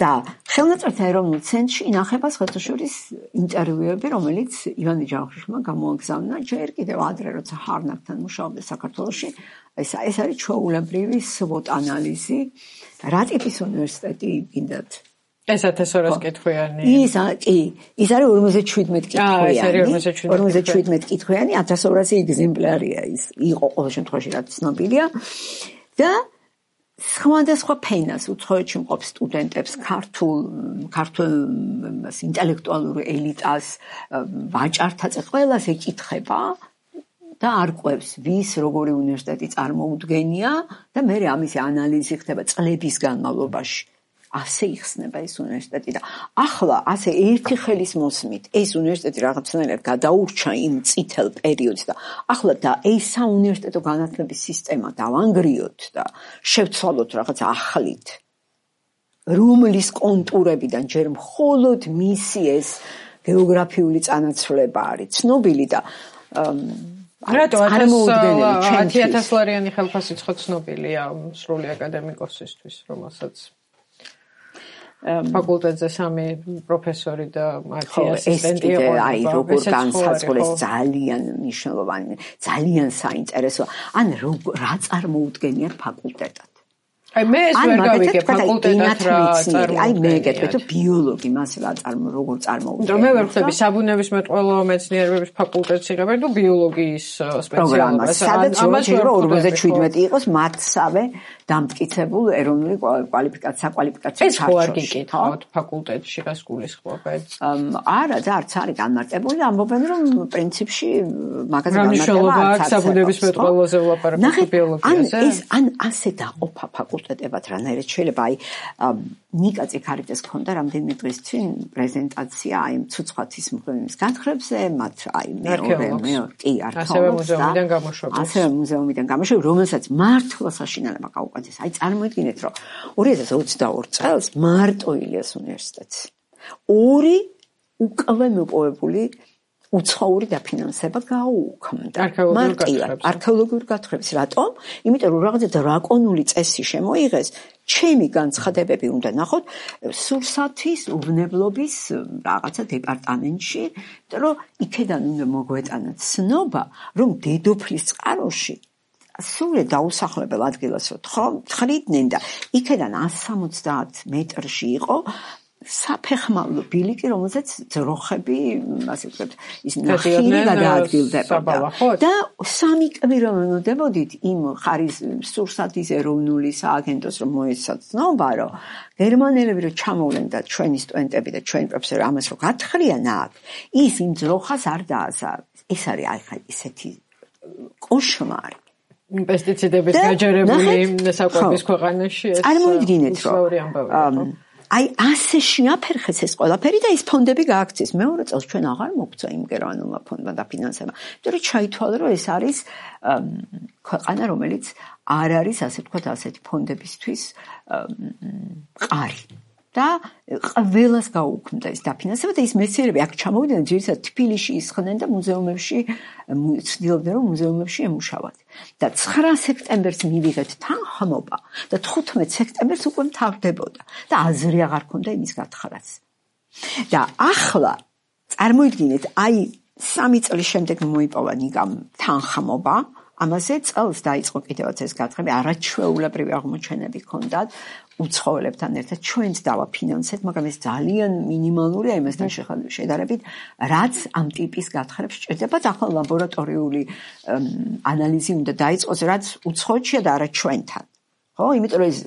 და ხელნაწერთა ეროვნულ ცენტრში ინახება ხეთოშორის ინტერვიუები, რომელიც ივანე ჯავახიშვილმა გამოაგზავნა ჯერ კიდევ ადრე, როცა ჰარნაკთან მუშაობდა საქართველოში. ეს არის ჩვეულებრივი SWOT ანალიზი, რა ტიპის უნივერსიტეტი გინდათ? ეს 1200 კითხვიანი. ის არის 57 კითხვიანი. 57 კითხვიანი, 1200 ეგზემპლარია ის. იყო ყოველ შემთხვევაში რაც ცნობილია. და სხვადასხვა ფენას უცხოეთში მყოფ სტუდენტებს, ქართულ ინტელექტუალურ ელიტას, ვაჭართაც ყველას ეკითხება და არკვევს, ვის როგორი უნივერსიტეტი წარმოუდგენია და მე ამისი ანალიზი ხდება წლების განმავლობაში. ასე იხსნება ეს უნივერსიტეტი და ახლა ასე ერთი ხელის მოსმით ეს უნივერსიტეტი რაღაცნაირად გადაურჩა იმ წითელ პერიოდს და ახლა და ეს საუნივერსიტეტო განათლების სისტემა დავანგრიოთ და შევცვალოთ რაღაც ახლით, რომლის კონტურებიდან ჯერ მხოლოდ მისი ეს გეოგრაფიული წანაცვლება არის ცნობილი და რატო 10,000 ხელფასი ცნობილია სრული აკადემიკოსისთვის, რომელსაც ფაკულტეტზე 3 პროფესორი და 10 ასისტენტი იყო. აი როგორ განსაზღვრეს ძალიან მნიშვნელოვანი, ძალიან საინტერესო. ან რა წარმოუდგენიათ ფაკულტეტად? აი მე ეს ვერ გავიგე ფაკულტეტად რა წარმოუდგენიათ. აი მე გეტყვი თუ ბიოლოგი მას როგორ წარმოუდგენიათ. მე ვერ ხვდები საბუნებისმეტყველო მეცნიერებების ფაკულტეტს იღებენ თუ ბიოლოგიის სპეციალობას. სადაც ამას ვერ 47 იყოს მათსავე დამტკიცებულ ეროვნული საკვალიფიკაციო ეს ხო არ გიკითხავთ ფაკულტეტში რას გულისხმობთ? არა და არც არის განმარტებული, ამბობენ რომ პრინციპში მაგაზე განმარტება აქვს საბუნებისმეტყველოზე ვლაპარაკობთ ბიოლოგიაზე. ან ასე დაყოფა ფაკულტეტებად რანაირად შეიძლება აი ნიკა წიქარიძეს ქონდა რამდენიმე დღის წინ პრეზენტაცია აი ცუცხვათის მღვიმის განხრებზე, მათ აი მეორე კი არქეოლოგს ასევე მუზეუმიდან გამოშვება, რომელსაც მართლა საშინელება გაუკვეთეს. აი წარმოიდგინეთ, რომ 2022 წელს მარტო ილიას უნივერსიტეტს 2 უკვე მოპოვებული უცხოური დაფინანსება გაუქმდა. არქეოლოგიურ გათხრებს. რატომ? იმიტომ რომ რაღაცა დრაკონული წესი შემოიღეს, ჩემი განცხადებები უნდა ნახოთ სურსათის უბნებლობის რაღაცა დეპარტამენტში, იმიტომ რომ იქედან უნდა მოგვეტანათ ცნობა, რომ დედოფლის წყაროში სრულად დაუსახლებელ ადგილას თხრიდნენ და იქედან 170 მეტრში იყო საფეხმავლო ბილიკი, რომელზეც ძროხები, ასე ვთქვათ, ის ნახირი გადაადგილდებოდა. და 3 კვირა იმ სურსათის ეროვნული სააგენტოს რომ მოესწრება, რომ გერმანელები რომ ჩამოვლენ და ჩვენი სტუდენტები და ჩვენი პროფესორი ამას რომ გათხრიან აქ, ის იმ ძროხას არ დააზარებს. ეს არის ახლა ისეთი კოშმარი. პესტიციდების გაჯერებული საკვების ქვეყანაში ეს წარმოიდგინეთ, რომ აი ასე შეაფერხეს ეს ყველაფერი და ის ფონდები გააქცეს. მეორე წელს ჩვენ აღარ მოგწვა იმ გერმანულმა ფონდმა დაფინანსება. იმიტომ რომ ჩაითვალა, რომ ეს არის ქვეყანა, რომელიც არ არის ასე ვთქვათ ასეთი ფონდებისთვის მყარი. და ყველას გაუქმდა ეს დაფინანსება და ის მეცნიერები აქ ჩამოვიდნენ, ძირითადად თბილისში ისხდნენ და მუზეუმებში ცდილობდნენ, რომ მუზეუმებში ემუშავათ. და 9 სექტემბერს მივიღეთ თანხმობა და 15 სექტემბერს უკვე მთავრდებოდა და აზრი აღარ ქონდა იმის გათხრას. და ახლა წარმოიდგინეთ, აი 3 წლის შემდეგ მოიპოვა ნიკამ თანხმობა, ამაზე წელს დაიწყო კიდევაც ეს გათხრები, არაჩვეულებრივი აღმოჩენები ჰქონდათ უცხოელებთან ერთად ჩვენც დავაფინანსეთ, მაგრამ ეს ძალიან მინიმალურია იმასთან შედარებით, რაც ამ ტიპის გათხრებს სჭირდება და ახლა ლაბორატორიული ანალიზი უნდა დაიწყოს, რაც უცხოეთშია და არა ჩვენთან. ხო, იმიტომ რომ ეს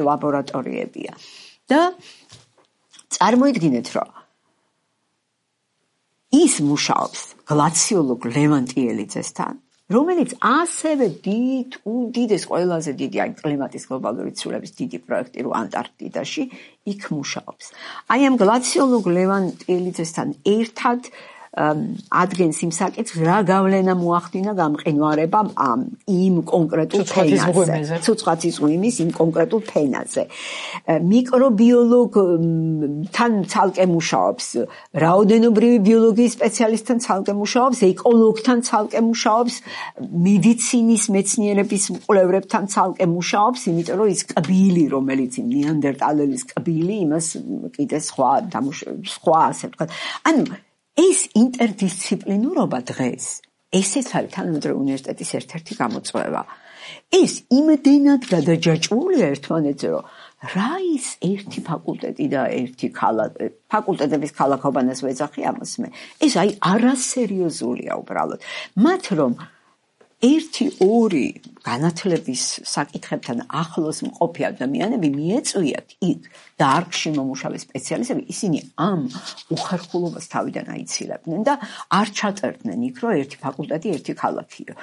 ლაბორატორიებია. და წარმოიდგინეთ, რომ ის მუშაობს გლაციოლოგ ლევან ტიელიძესთან, რომელიც ასევე უდიდეს ყველაზე დიდი აი კლიმატის გლობალური ცვლილების დიდი პროექტი რო ანტარქტიდაში იქ მუშაობს. აი ამ გლაციოლოგ ლევან ტიელიძესთან ერთად ადგენს იმ საკითხს, რა გავლენა მოახდინა გამყინვარებამ იმ კონკრეტულ ფენაზე, ცუცხვათის ღვიმის იმ კონკრეტულ ფენაზე. მიკრობიოლოგთან ცალკე მუშაობს, რაოდენობრივი ბიოლოგიის სპეციალისტთან ცალკე მუშაობს, ეკოლოგთან ცალკე მუშაობს, მედიცინის მეცნიერების მკვლევრებთან ცალკე მუშაობს, იმიტომ რომ ის კბილი, რომელიც ნეანდერტალელის კბილი, იმას კიდე სხვა ასე ვთქვათ. ანუ ეს ინტერდისციპლინურობა დღეს, ესეც არის თანამედროვე უნივერსიტეტის ერთ-ერთი გამოწვევა. ეს იმდენად გადაჯაჭვულია ერთმანეთზე, რომ რა ის ერთი ფაკულტეტი და ერთი ფაკულტეტების ქალაქობანას ვეძახი ამას მე. ეს აი არასერიოზულია უბრალოდ. მათ რომ 1-2 განათლების საკითხებთან ახლოს მყოფი ადამიანები მიეწვიათ იქ დარგში მომუშავე სპეციალისტები, ისინი ამ უხერხულობას თავიდან აიცილებდნენ და არ ჩაწერდნენ იქ, რომ ერთი ფაკულტეტი, ერთი ქალაქიო.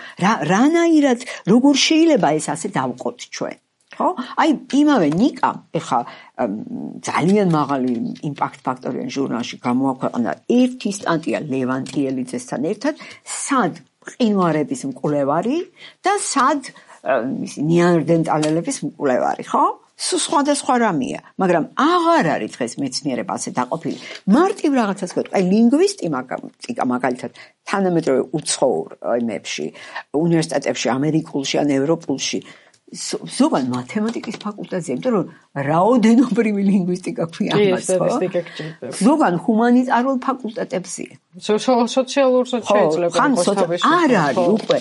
რანაირად, როგორ შეიძლება ეს ასე დავყოთ ჩვენ? ხო? აი, იმავე ნიკამ, ეხა ძალიან მაღალი იმპაქტ ფაქტორიან ჟურნალში გამოაქვეყნა ერთი სტატია ლევან ტიელიძესთან ერთად, სად ყინვარების მკვლევარი და სად ნეანდერტალელების მკვლევარი, ხო? სხვადასხვა რამეა, მაგრამ აღარ არის დღეს მეცნიერება ასე დაყოფილი. მარტივ რაღაცას ვეთქვი, აი ლინგვისტიკა მაგალითად თანამედროვე უცხოურ იმებში, უნივერსიტეტებში, ამერიკულში ან ევროპულში ზოგან მათემატიკის ფაკულტეტზე, იმიტომ რომ რაოდენობრივი ლინგვისტიკა ქვია ამას, ხო? ზოგან ჰუმანიტარულ ფაკულტეტებზეა. სოციალურს შეიძლება იყოს არ არის უკვე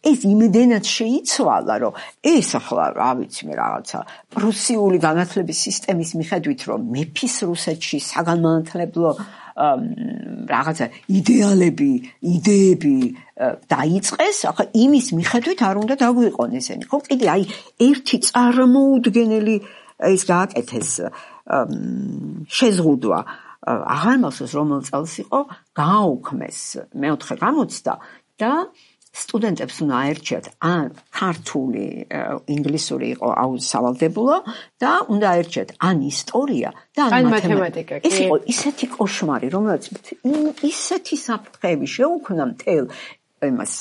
ეს იმდენად შეიცვალა, რომ ეს ახლა რა ვიცი მე რაღაცა პრუსიული განათლების სისტემის მიხედვით, რომ მეფის რუსეთში საგანმანათლებლო რაღაცა იდეალები, იდეები დაიწყეს, ახლა იმის მიხედვით არ უნდა დაგვიყონ ესენი. ხო, კიდე აი ერთი წარმოუდგენელი ის გააკეთეს შეზღუდვა. აღარ მახსოვს რომელ წელს იყო, გააუქმეს მეოთხე გამოცდა და სტუდენტებს უნდა აერჩიათ ან ქართული, ინგლისური იყო სავალდებულო და უნდა აერჩიათ ან ისტორია და ან მათემატიკა. ეს იყო ისეთი კოშმარი, რომელიც ისეთი საფრთხეები შეუქმნა მთელ იმას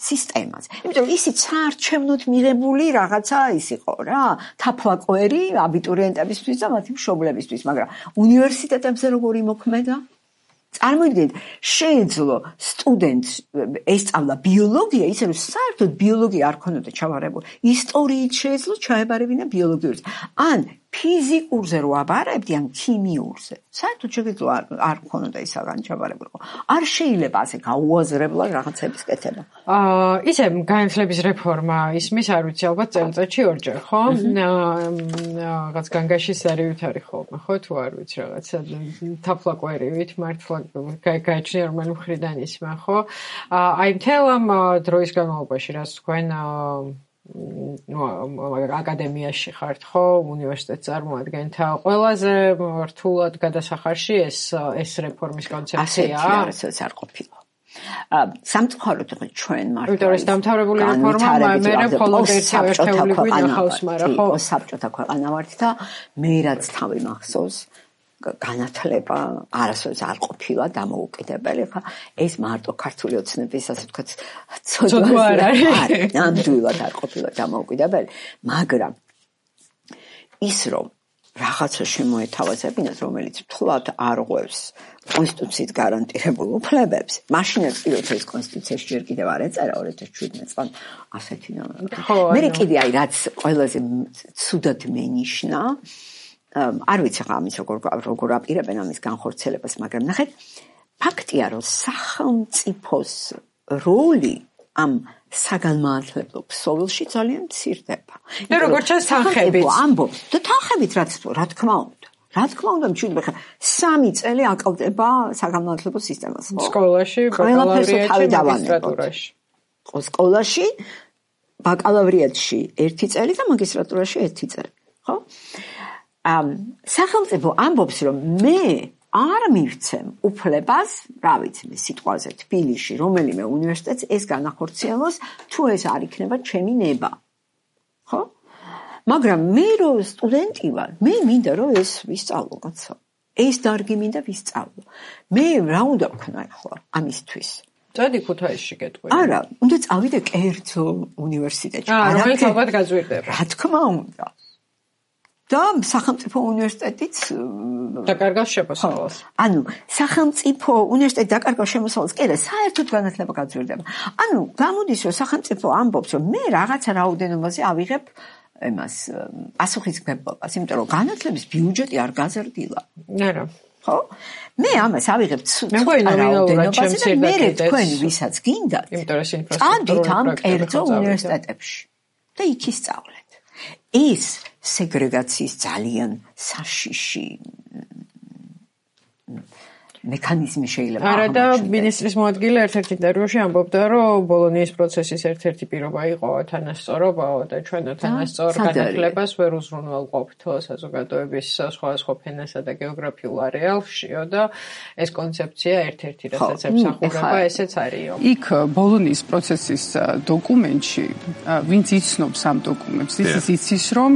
სისტემას. იმიტომ რომ ისიც საარჩევნოდ მიღებული რაღაცა ის იყო რა, თაფლაკვერი აბიტურიენტებისთვის და მათი მშობლებისთვის, მაგრამ უნივერსიტეტებზე როგორი მოქმედა? წარმოიდგინეთ, შეეძლო სტუდენტს ესწავლა ბიოლოგია, ისე რომ საერთოდ ბიოლოგია არ ქონოდა ჩავარებული. ისტორიით შეეძლო ჩაებარებინა ბიოლოგიურზე. ან ფიზიკურზე რო აბარებდი, ან ქიმიურზე. საერთოდ შეეძლო არ ქონოდა ისაგან ჩავარებულიყო. არ შეიძლება ასე გაუაზრებლად რაღაცების კეთება. ისე განათლების რეფორმა ისმის, არ ვიცი, ალბათ წელიწადში 2-ჯერ, ხო? რაღაც განგაშის ზარივით არის ხოლმე, ხო? თუ არ ვიცი, რაღაცა თაფლაკვერივით მართლა გაიჩნია რომელი მხრიდან ისმა, ხო? აი მთელ ამ დროის განმავლობაში, რაც თქვენ აკადემიაში ხართ, ხო, უნივერსიტეტს წარმოადგენთ, ყველაზე რთულად გადასახარში ეს რეფორმის კონცეფცია? ასეთი არ ყოფილა. სამწუხაროდ ჩვენ მართლა იმიტომ რომ დამთავრებული რეფორმა მე მხოლოდ ერთეული გვინახავს, მაგრამ ხო საბჭოთა ქვეყანა ვართ და მე რაც თავი მახსოვს განათლება არასოდეს არ ყოფილა დამოუკიდებელი, ხა ეს მარტო ქართული ოცნების ასე ვთქვათ ცოდვა არ არის. ნამდვილად არ ყოფილა დამოუკიდებელი, მაგრამ ის რომ რაღაცა შემოეთავაზებინათ, რომელიც მთლად არ ღვევს კონსტიტუციით გარანტირებულ უფლებებს, მაშინაც კი როცა ეს კონსტიტუციაში ჯერ კიდევ არ ეწერა 2017 წელს ასეთი მე კიდე აი რაც ყველაზე ცუდად მენიშნა, არ ვიცი ხა ამის როგორ აპირებენ ამის განხორციელებას, მაგრამ ნახეთ, ფაქტია რომ სახელმწიფოს როლი ამ საგანმანათლებლო ქსოვილში ძალიან მცირდება. მე როგორც ჩანს თანხებით ამბობს და თანხებით რა თქმა უნდა. რა თქმა უნდა, მშვიდობა ხა 3 წელი აკავდება საგანმანათლებლო სისტემას, ხო? სკოლაში, ბაკალავრიატში, მაგისტრატურაში. სკოლაში, ბაკალავრიატში 1 წელი და მაგისტრატურაში 1 წელი, ხო? სახელმწიფო ამბობს, რომ მე არ მივცემ უფლებას, რა ვიცი, სიტყვაზე თბილისში, რომელიმე უნივერსიტეტს ეს განახორციელოს, თუ ეს არ იქნება ჩემი ნება. ხო? მაგრამ მე რო სტუდენტი ვარ, მე მინდა რომ ეს ვისწავლო, კაცო. ეს დარგი მინდა ვისწავლო. მე რა უნდა ვქნა ახლა ამისთვის? წადი ქუთაისში გეტყვი. არა, უნდა წავიდე კერძო უნივერსიტეტში. რომელიც ალბათ გაზვირდება. რა თქმა უნდა. და სახელმწიფო უნივერსიტეტიც დაკარგავს შემოსავალს. ანუ სახელმწიფო უნივერსიტეტი დაკარგავს შემოსავალს, კი და საერთოდ განათლება გაზვირდება. ანუ გამოდის რომ სახელმწიფო ამბობს რომ მე რაღაცა რაოდენობაზე ავიღებ ემას პასუხისმგებლობას, იმიტომ რომ განათლების ბიუჯეტი არ გაზრდილა. არა. ხო? მე ამას ავიღებ რაოდენობაზე და მე თქვენ ვისაც გინდათ, იმიტომ რომ ინფრასტრუქტურული წადით ამ კერძო უნივერსიტეტებში და იქ ისწავლეთ. ეს სეგრეგაციის ძალიან საშიში მექანიზმი შეიძლება არა და მინისტრის მოადგილე ერთ-ერთ ინტერვიუში ამბობდა, რომ ბოლონიის პროცესის ერთ-ერთი პირობა იყო თანასწორობაო და ჩვენ თანასწორ განათლებას ვერ უზრუნველყოფთო საზოგადოების სხვადასხვა ფენასა და გეოგრაფიულ არეალშიო და ეს კონცეფცია ერთ-ერთი რასაც ემსახურება, ესეც არისო. იქ ბოლონიის პროცესის დოკუმენტში, ვინც იცნობს ამ დოკუმენტს, ის იცის, რომ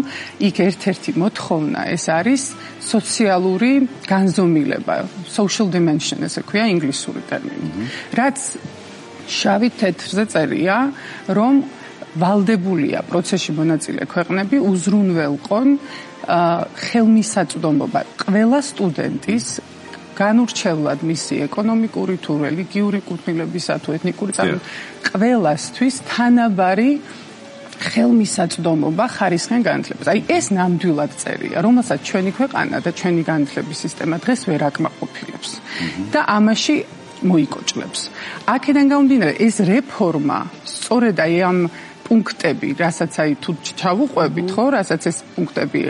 იქ ერთ-ერთი მოთხოვნა ეს არის სოციალური განზომილება, social dimension, ესე ქვია ინგლისური ტერმინი. რაც შავი თეთრზე წერია, რომ ვალდებულია პროცესში მონაწილე ქვეყნები უზრუნველყონ ხელმისაწვდომობა ყველა სტუდენტის განურჩევლად მისი ეკონომიკური თუ რელიგიური კუთვნილებისა თუ ეთნიკური წარმოშობის ყველასთვის თანაბარი ხელმისაწვდომობა ხარისხიან განათლებას. აი ეს ნამდვილად წერია, რომელსაც ჩვენი ქვეყანა და ჩვენი განათლების სისტემა დღეს ვერ აკმაყოფილებს და ამაში მოიკოჭლებს. აქედან გამომდინარე, ეს რეფორმა სწორედ აი ამ პუნქტები, რასაც აი თუ ჩავუყვებით, ხო, რასაც ეს პუნქტები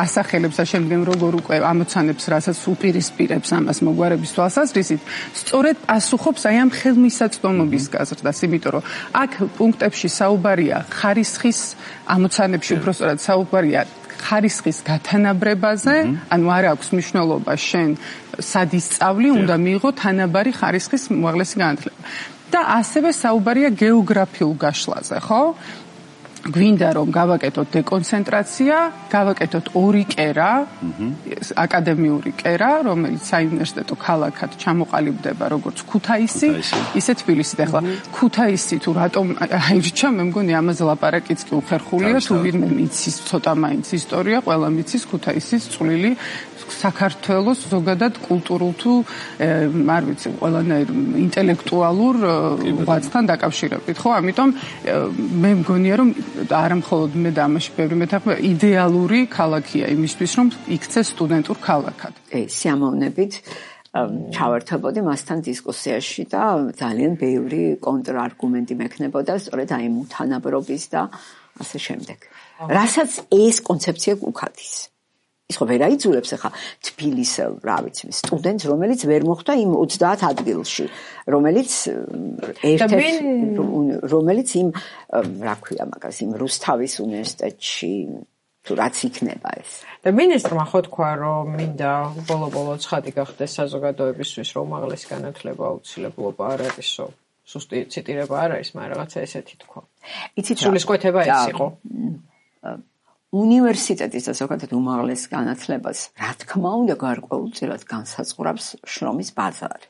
ასახელებს და შემდგომ როგორ უკვე ამოცანებს, რასაც უპირისპირებს ამას მოგვარების თვალსაზრისით, სწორედ პასუხობს აი ამ ხელმისაწვდომობის გაზრდას, იმიტომ რომ აქ პუნქტებში საუბარია ხარისხის ამოცანებში უბრალოდ საუბარია ხარისხის გათანაბრებაზე, ანუ არ აქვს მნიშვნელობა შენ სად ისწავლი, უნდა მიიღო თანაბარი ხარისხის უმაღლესი განათლება. და ასევე საუბარია გეოგრაფიულ გაშლაზე, ხო? გვინდა რომ გავაკეთოთ დეკონცენტრაცია, გავაკეთოთ ორი კერა, აკადემიური კერა, რომელიც საუნივერსიტეტო ქალაქად ჩამოყალიბდება როგორც ქუთაისი, ისე თბილისი. და ახლა ქუთაისი თუ რატომ აირჩა, მე მგონი ამაზე ლაპარაკიც კი უხერხულია, თუ ვინმე მიცის ცოტა მაინც ისტორია, ყველა მიცის ქუთაისის წვლილი საქართველოს ზოგადად კულტურულ თუ არ ვიცი, ყველანაირ ინტელექტუალურ ღვაწლთან დაკავშირებით, ხო? ამიტომ მე მგონია რომ არა მხოლოდ მე და ამაში ბევრი მეთანხმება, იდეალური ქალაქია იმისთვის, რომ იქცეს სტუდენტურ ქალაქად. სიამოვნებით ჩავერთებოდი მასთან დისკუსიაში და ძალიან ბევრი კონტრარგუმენტი მექნებოდა სწორედ აი თანაბრობის და ასე შემდეგ. რასაც ეს კონცეფცია უქადის. ის ხო ვერ აიძულებს ახლა თბილის, რა ვიცი, სტუდენტს, რომელიც ვერ მოხვდა იმ 30 ადგილში, რომელიც რომელიც იმ, რა ქვია მაგას, იმ რუსთავის უნივერსიტეტში თუ რაც იქნება ეს. და მინისტრმა ხო თქვა, რომ მინდა ბოლო-ბოლო ცხადი გახდეს საზოგადოებისთვის, რომ უმაღლესი განათლება აუცილებლობა არ არისო. სუსტი ციტირება არ არის, მაგრამ რაღაცა ესეთი თქვა. იცით, სულისკვეთება ეს იყო. უნივერსიტეტის და ზოგადად უმაღლეს განათლებას, რა თქმა უნდა, გარკვეულწილად განსაზღვრავს შრომის ბაზარი.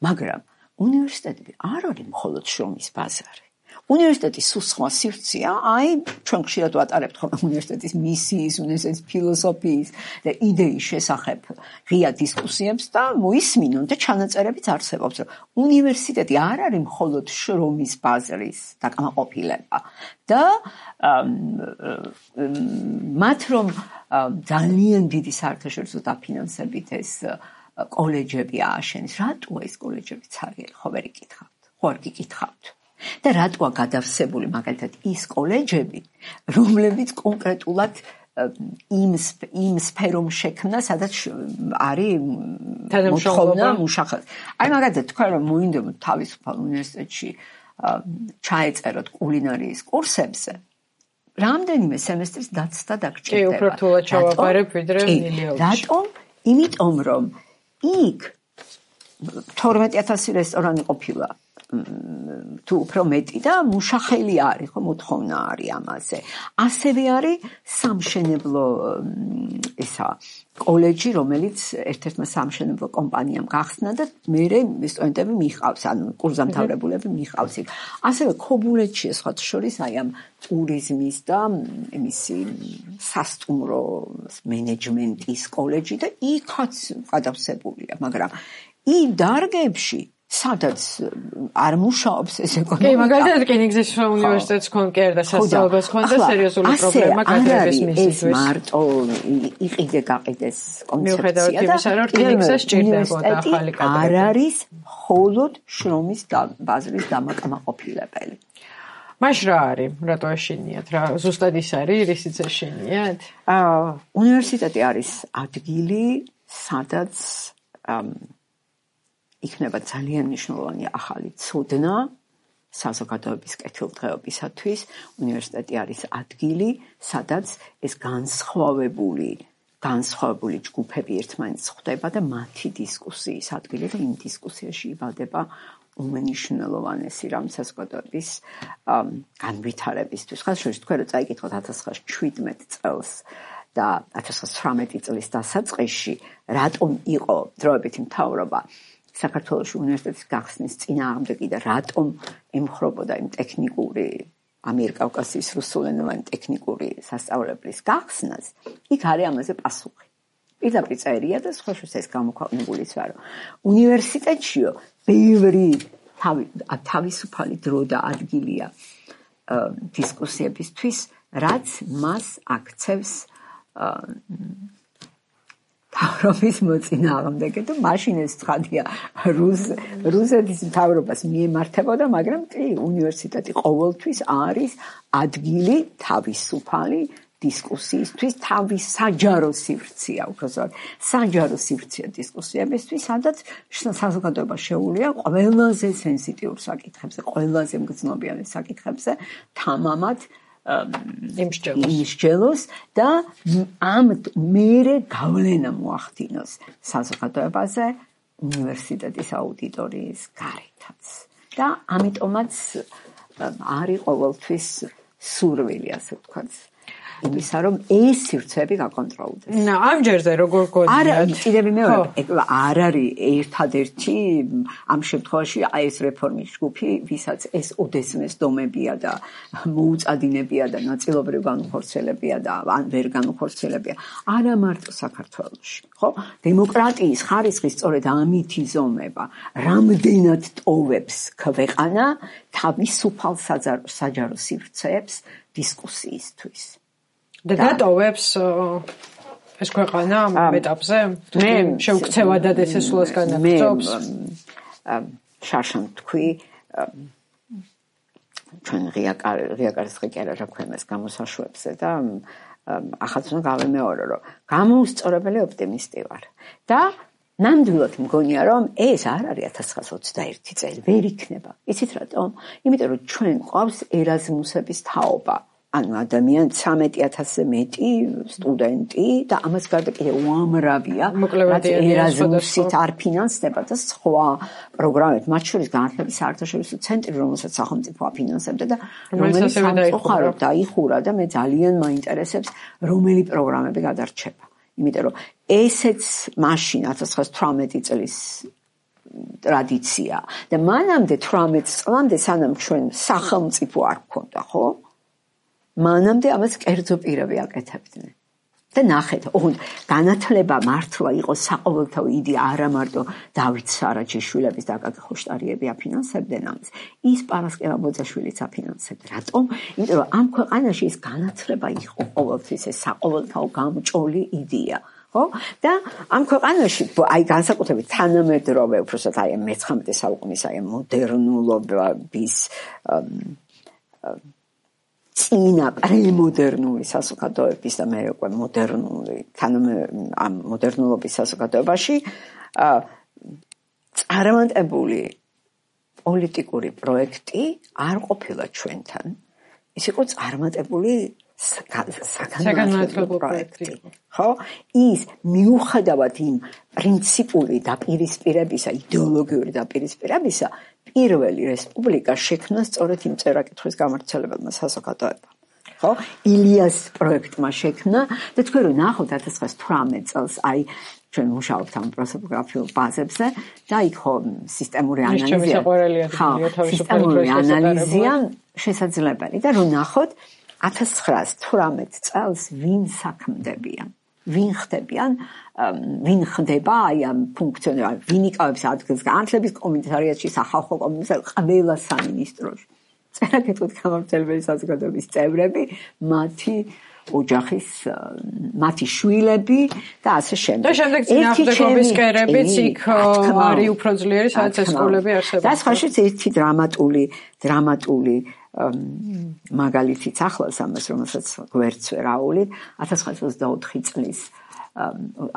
მაგრამ უნივერსიტეტები არ არის მხოლოდ შრომის ბაზარი. უნივერსიტეტის სულ სხვა სივრცეა, აი, ჩვენ ხშირად ვატარებთ ხოლმე უნივერსიტეტის მისიის, უნივერსიტეტის ფილოსოფიის და იდეის შესახებ ღია დისკუსიებს და მოისმინონ და ჩანაწერებიც არსებობს, რომ უნივერსიტეტი არ არის მხოლოდ შრომის ბაზრის დაკმაყოფილება და მათ რომ ძალიან დიდი საერთაშორისო დაფინანსებით ეს კოლეჯები ააშენეს, რატოა ეს კოლეჯები ცარიელი, ხო ვერ იკითხავთ, ხო არ გიკითხავთ. და რატოა გადავსებული მაგალითად ის კოლეჯები, რომლებიც კონკრეტულად იმ სფერომ შექმნა, სადაც არის მოთხოვნა მუშახელს. აი მაგალითად თქვა რომ მოინდა თავისუფალ უნივერსიტეტში ჩაეწეროთ კულინარიის კურსებზე, რამდენიმე სემესტრის დაცვა დაგჭირდება. კი, უფრო რთულად ჩავაბარებ ვიდრე მილიონში. რატომ? იმიტომ რომ იქ 12000 რესტორანი ყოფილა თუ უფრო მეტი და მუშახელი არის, ხო, მოთხოვნა არის ამაზე. ასევე არის სამშენებლო კოლეჯი, რომელიც ერთ-ერთმა სამშენებლო კომპანიამ გახსნა და მერე სტუდენტები მიჰყავს, ანუ კურსდამთავრებულები მიჰყავს იქ. ასევე ქობულეთში სხვათა შორის აი ამ ტურიზმის და იმისი სასტუმრო მენეჯმენტის კოლეჯი და იქაც გადავსებულია, მაგრამ იმ დარგებში სადაც არ მუშაობს ეს ეკონომიკა. კი, მაგალითად რკინიგზის უნივერსიტეტს კონკერ და სასწავლებელს კონდა სერიოზული პრობლემა კადრების მისისთვის. ეს მარტო იყიდე-გაყიდეს კონცეფცია მიუხედავად იმისა, რომ რკინიგზას სჭირდებოდა ახალი კადრები. არ არის მხოლოდ შრომის ბაზრის დამაკმაყოფილებელი. მაშ რა არის? რატო ეშინიათ? რა ზუსტად ის არის, რისიც ეშინიათ? უნივერსიტეტი არის ადგილი, სადაც იქნება ძალიან მნიშვნელოვანი ახალი ცოდნა საზოგადოების კეთილდღეობისათვის. უნივერსიტეტი არის ადგილი, სადაც ეს განსხვავებული ჯგუფები ერთმანეთს ხვდება და მათი დისკუსიის ადგილი და იმ დისკუსიაში იბადება უმნიშვნელოვანესი რამ საზოგადოების განვითარებისთვის. ხალხს შორის თქვენ რომ წაიკითხოთ 1917 წელს და 1918 წლის დასაწყისში რატომ იყო დროებითი მთავრობა საქართველოს უნივერსიტეტის გახსნის წინააღმდეგი და რატომ ემხრობოდა იმ ტექნიკური ამიერკავკასიის რუსულენოვანი ტექნიკური სასწავლებლის გახსნას, იქ არის ამაზე პასუხი. პირდაპირ წერია და სხვა შორის ეს გამოქვეყნებულიც ვარ. უნივერსიტეტშიო ბევრი თავისუფალი დრო და ადგილია დისკუსიებისთვის, რაც მას აქცევს მთავრობის მოწინააღმდეგე და მაშინ ეს ცხადია რუსეთის მთავრობას მიემართებოდა, მაგრამ კი უნივერსიტეტი ყოველთვის არის ადგილი თავისუფალი დისკუსიისთვის, თავის საჯარო სივრცეა, უბრალოდ საჯარო სივრცეა დისკუსიებისთვის, სადაც საზოგადოება შეუულია ყველაზე სენსიტიურ საკითხებზე, ყველაზე მგრძნობიარე საკითხებზე თამამად იმსჯელოს და ამ მერე გავლენა მოახდინოს საზოგადოებაზე უნივერსიტეტის აუდიტორიის გარეთაც. და ამიტომაც არის ყოველთვის სურვილი, ასე ვთქვათ, იმისა, რომ ეს სივრცეები გაკონტროლდეს. ამ ჯერზე როგორ გონიათ? არა, კიდევ მეორე, არ არის ერთადერთი ამ შემთხვევაში ეს რეფორმის ჯგუფი, ვისაც ეს ოდესმეს დომებია და მოუწადინებია და ნაწილობრივ განუხორციელებია და ან ვერ განუხორციელებია. არა მარტო საქართველოში, ხო? დემოკრატიის ხარისხი სწორედ ამით იზომება, რამდენად ტოვებს ქვეყანა თავისუფალ საჯარო სივრცეებს დისკუსიისთვის. და გატოვებს ეს ქვეყანა ამ ეტაპზე? შეუქცევადად ეს სულას განაგრძობს? შარშან თქვი, ჩვენ ღია კარის რაქვემეს გამოსაშვებზე და ახაც უნდა გავემეორო, რომ გამოუსწორებელი ოპტიმისტი ვარ. და ნამდვილად მგონია, რომ ეს არ არის 1921 წელი, ვერ იქნება. იცით რატომ? იმიტომ რომ ჩვენ გვყავს ერაზმუსების თაობა. ანუ ადამიანი 13000-ზე მეტი სტუდენტი და ამას გარდა კიდევ უამრავია, რაც ერაზმუსით არ ფინანსდება და სხვა პროგრამებით, მათ შორის განათლების საერთაშორისო ცენტრი, რომელსაც სახელმწიფო აფინანსებდა და რომელიც სამწუხაროდ დაიხურა და მე ძალიან მაინტერესებს, რომელი პროგრამები გადარჩება. იმიტომ რომ ესეც მაშინ 1918 წლის ტრადიცია და მანამდე 18 წლამდე სანამ ჩვენ სახელმწიფო არ გქონდა, ხო? მანამდე ამას კერძო პირები აკეთებდნენ. და ნახეთ, ოღონდ განათლება მართლა იყო საყოველთაო იდეა, არა მარტო დავით სარაჯიშვილების და აკაკი ხოშტარიები აფინანსებდნენ ამას. ის პარასკევა ბოძაშვილიც აფინანსებდა. რატომ? იმიტომ რომ ამ ქვეყანაში ეს განათლება იყო ყოველთვის ეს საყოველთაო გამჭოლი იდეა. ხო? და ამ ქვეყანაში აი განსაკუთრებით თანამედროვე, უბრალოდ აი მე-19 საუკუნის აი მოდერნულობის წინა პრემოდერნული საზოგადოების და მე უკვე მოდერნული ამ მოდერნულობის საზოგადოებაში წარმატებული პოლიტიკური პროექტი არ ყოფილა ჩვენთან. ის იყო წარმატებული საგანმანათლებლო პროექტი. ხო? ის მიუხედავად იმ პრინციპული დაპირისპირებისა, იდეოლოგიური დაპირისპირებისა, პირველი რესპუბლიკა შექმნა სწორედ იმ წერა-კითხვის გამავრცელებელმა საზოგადოებამ. ხო? ილიას პროექტმა შექმნა და თქვენ რომ ნახოთ 1918 წელს აი ჩვენ მუშაობთ ამ პროსოპოგრაფიულ ბაზებზე და იქ ხო სისტემური ანალიზია შესაძლებელი და რომ ნახოთ 1918 წელს ვინ საქმდებიან ვინ ხდება აი ამ ფუნქციონერი ვინ იკავებს ადგილს განათლების კომიტეტში სახალხო კომიტეტში ყველა სამინისტროში წერა-კითხვის გამავრცელებელი საზოგადოების წევრები მათი ოჯახის მათი შვილები და ასე შემდეგ. და შემდეგ წინააღმდეგობის კერებიც იქ არის უფრო ძლიერი, სადაც ეს სკოლები არსებობს. და სხვაშიც ერთი დრამატული მაგალითიც ახლავს ამას, რომელსაც გვერდს ვერ აუვლით, 1924 წლის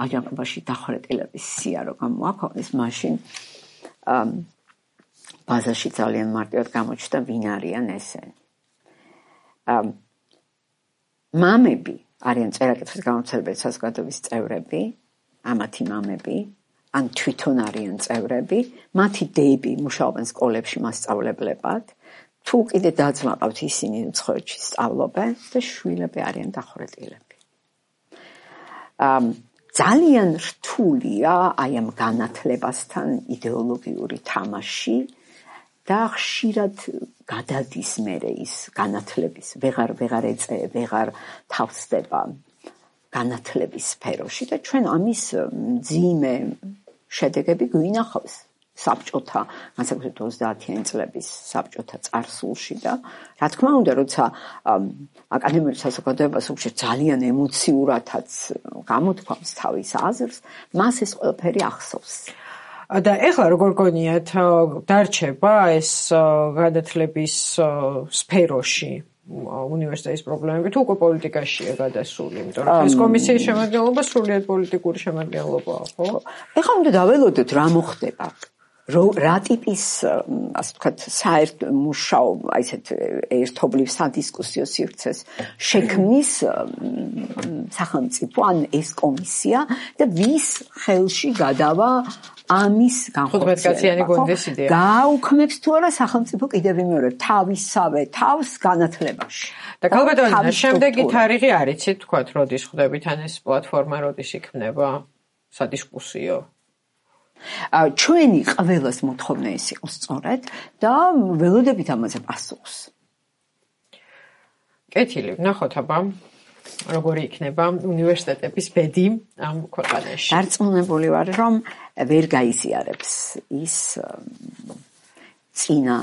აჯანყებაში დახვრეტილების სია რო გამოაქვეყნეს, მაშინ ბაზაში ძალიან მარტივად გამოჩნდა ვინ არიან ესენი. მამები არიან წერა-კითხვის გამავრცელებელი საზოგადოების წევრები, ამათი მამები, ან თვითონ არიან წევრები, მათი დები მუშაობენ სკოლებში მასწავლებლებად, თუ კიდე დაძმა ყავთ ისინი უცხოეთში სწავლობენ და შვილები არიან დახვრეტილები. ძალიან რთულია აი ამ განათლებასთან იდეოლოგიური თამაში და ხშირად გადადის მერე ის განათლების ვეღარ თავსდება განათლების სფეროში და ჩვენ ამის მძიმე შედეგები გვინახავს საბჭოთა განსაკუთრებით 30-იანი წლების საბჭოთა წარსულში და რა თქმა უნდა როცა აკადემიური საზოგადოება სულ ძალიან ემოციურადაც გამოთქვამს თავის აზრს მას ეს ყველაფერი ახსოვს და ეხლა როგორ გონიათ დარჩება ეს განათლების სფეროში უნივერსიტეტის პრობლემები თუ უკვე პოლიტიკაშია გადასული, იმიტომ რომ ეს კომისიის შემადგენლობა სრულიად პოლიტიკური შემადგენლობაა, ხო? ეხლა უნდა დაველოდოთ რა მოხდება. რა ტიპის, ასე ვთქვათ, საერთო მუშაობა, აი ესეთ ერთობლივ სადისკუსიო სივრცეს შექმნის სახელმწიფო ან ეს კომისია და ვის ხელში გადავა ამის განხორციელება. გააუქმებს თუ არა სახელმწიფო კიდევ მეორე თავისავე თავს განათლებაში. და ქალბატონო, შემდეგი თარიღი არ იცით, თქვათ, როდის ხდებით ან ეს პლატფორმა როდის იქნება სადისკუსიო? ჩვენი ყველას მოთხოვნა ის იყო სწორედ და ველოდებით ამაზე პასუხს. კეთილი, ნახოთ აბა როგორი იქნება უნივერსიტეტების ბედი ამ ქვეყანაში. დარწმუნებული ვარ, რომ ვერ გაიზიარებს ის წინა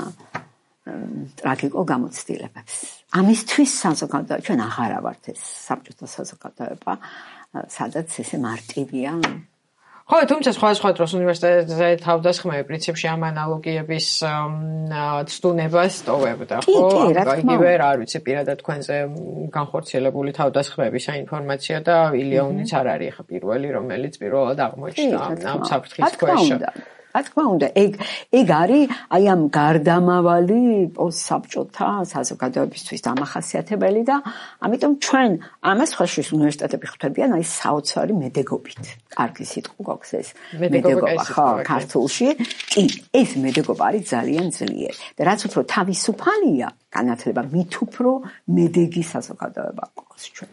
ტრაგიკულ გამოცდილებებს. ამისთვის საზოგადოება ჩვენ აღარა ვართ ეს საბჭოთა საზოგადოება, სადაც ესე მარტივია ხო, თუმცა სხვა დროს უნივერსიტეტზე თავდასხმები პრინციპში ამ ანალოგიების ცდუნებას ტოვებდა, ხო? იგივე არ ვიცი პირადად თქვენზე განხორციელებული თავდასხმების საინფორმაციო და ილიონიც არ არის ხა პირველი, რომელიც პირველად აღმოჩნდა ამ საფრთხის ქვეშ. რა თქმა უნდა, ეგ არის აი ამ გარდამავალი პოსტსაბჭოთა საზოგადოებისთვის დამახასიათებელი და ამიტომ ჩვენ ამას ხაშვის უნივერსიტეტები ხვდებიან აი საოცარი მედეგობით. კარგი სიტყვა გვაქვს ეს მედეგობა ხო ქართულში. კი, ეს მედეგობა არის ძალიან ძლიერი. და რაც უფრო თავისუფალია განათლება, მით უფრო მედეგი საზოგადოება გვაქვს ჩვენ.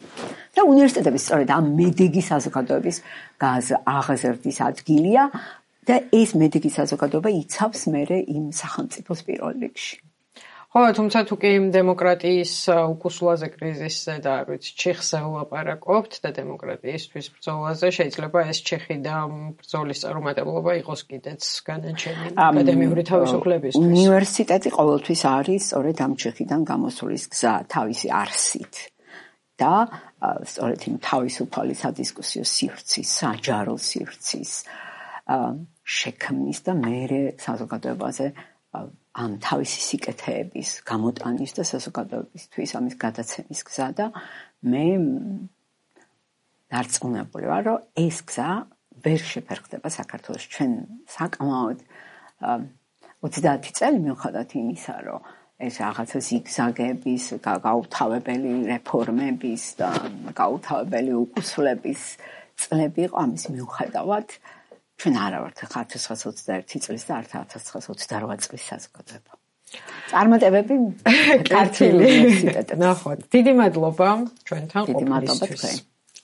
და უნივერსიტეტების სწორედ ამ მედეგი საზოგადოების აღზრდის ადგილია და ეს მედეგი საზოგადოება იცავს მერე იმ სახელმწიფოს პირველ რიგში. ხო, თუმცა თუ კი დემოკრატიის უკუსლაზე კრიზისზე და არ ვიცი, ჩიხზე ვლაპარაკობთ და დემოკრატიისთვის ბრძოლაზე, შეიძლება ეს ჩიხი და ბრძოლის წარუმატებლობა იყოს კიდეც განაჩენი აკადემიური თავისუფლებისთვის. უნივერსიტეტი ყოველთვის არის სწორედ ამ ჩიხიდან გამოსulis გზა თავისი არსით. და სწორედ იმ თავისუფალი სადისკუსიო სივრცის, საჯარო სივრცის შექმნის და მერე საზოგადოებაზე ამ თავისი სიკეთეების გამოტანის და საზოგადოებისთვის ამის გადაცემის გზა და მე დარწმუნებული ვარ, რომ ეს გზა ვერ შეფერხდება საქართველოში. ჩვენ საკმაოდ 30 წელი მიუხედავად იმისა, რომ ეს რაღაცა ზიგზაგების, გაუთავებელი რეფორმების და გაუთავებელი უკუსლების წლები იყო. ამის მიუხედავად ჩვენ არა ვართ 1921 წლის და არც 1928 წლის საზოგადოება. წარმატებები ქართული უნივერსიტეტებში. ნახოთ. დიდი მადლობა ჩვენთან ყოფნისთვის.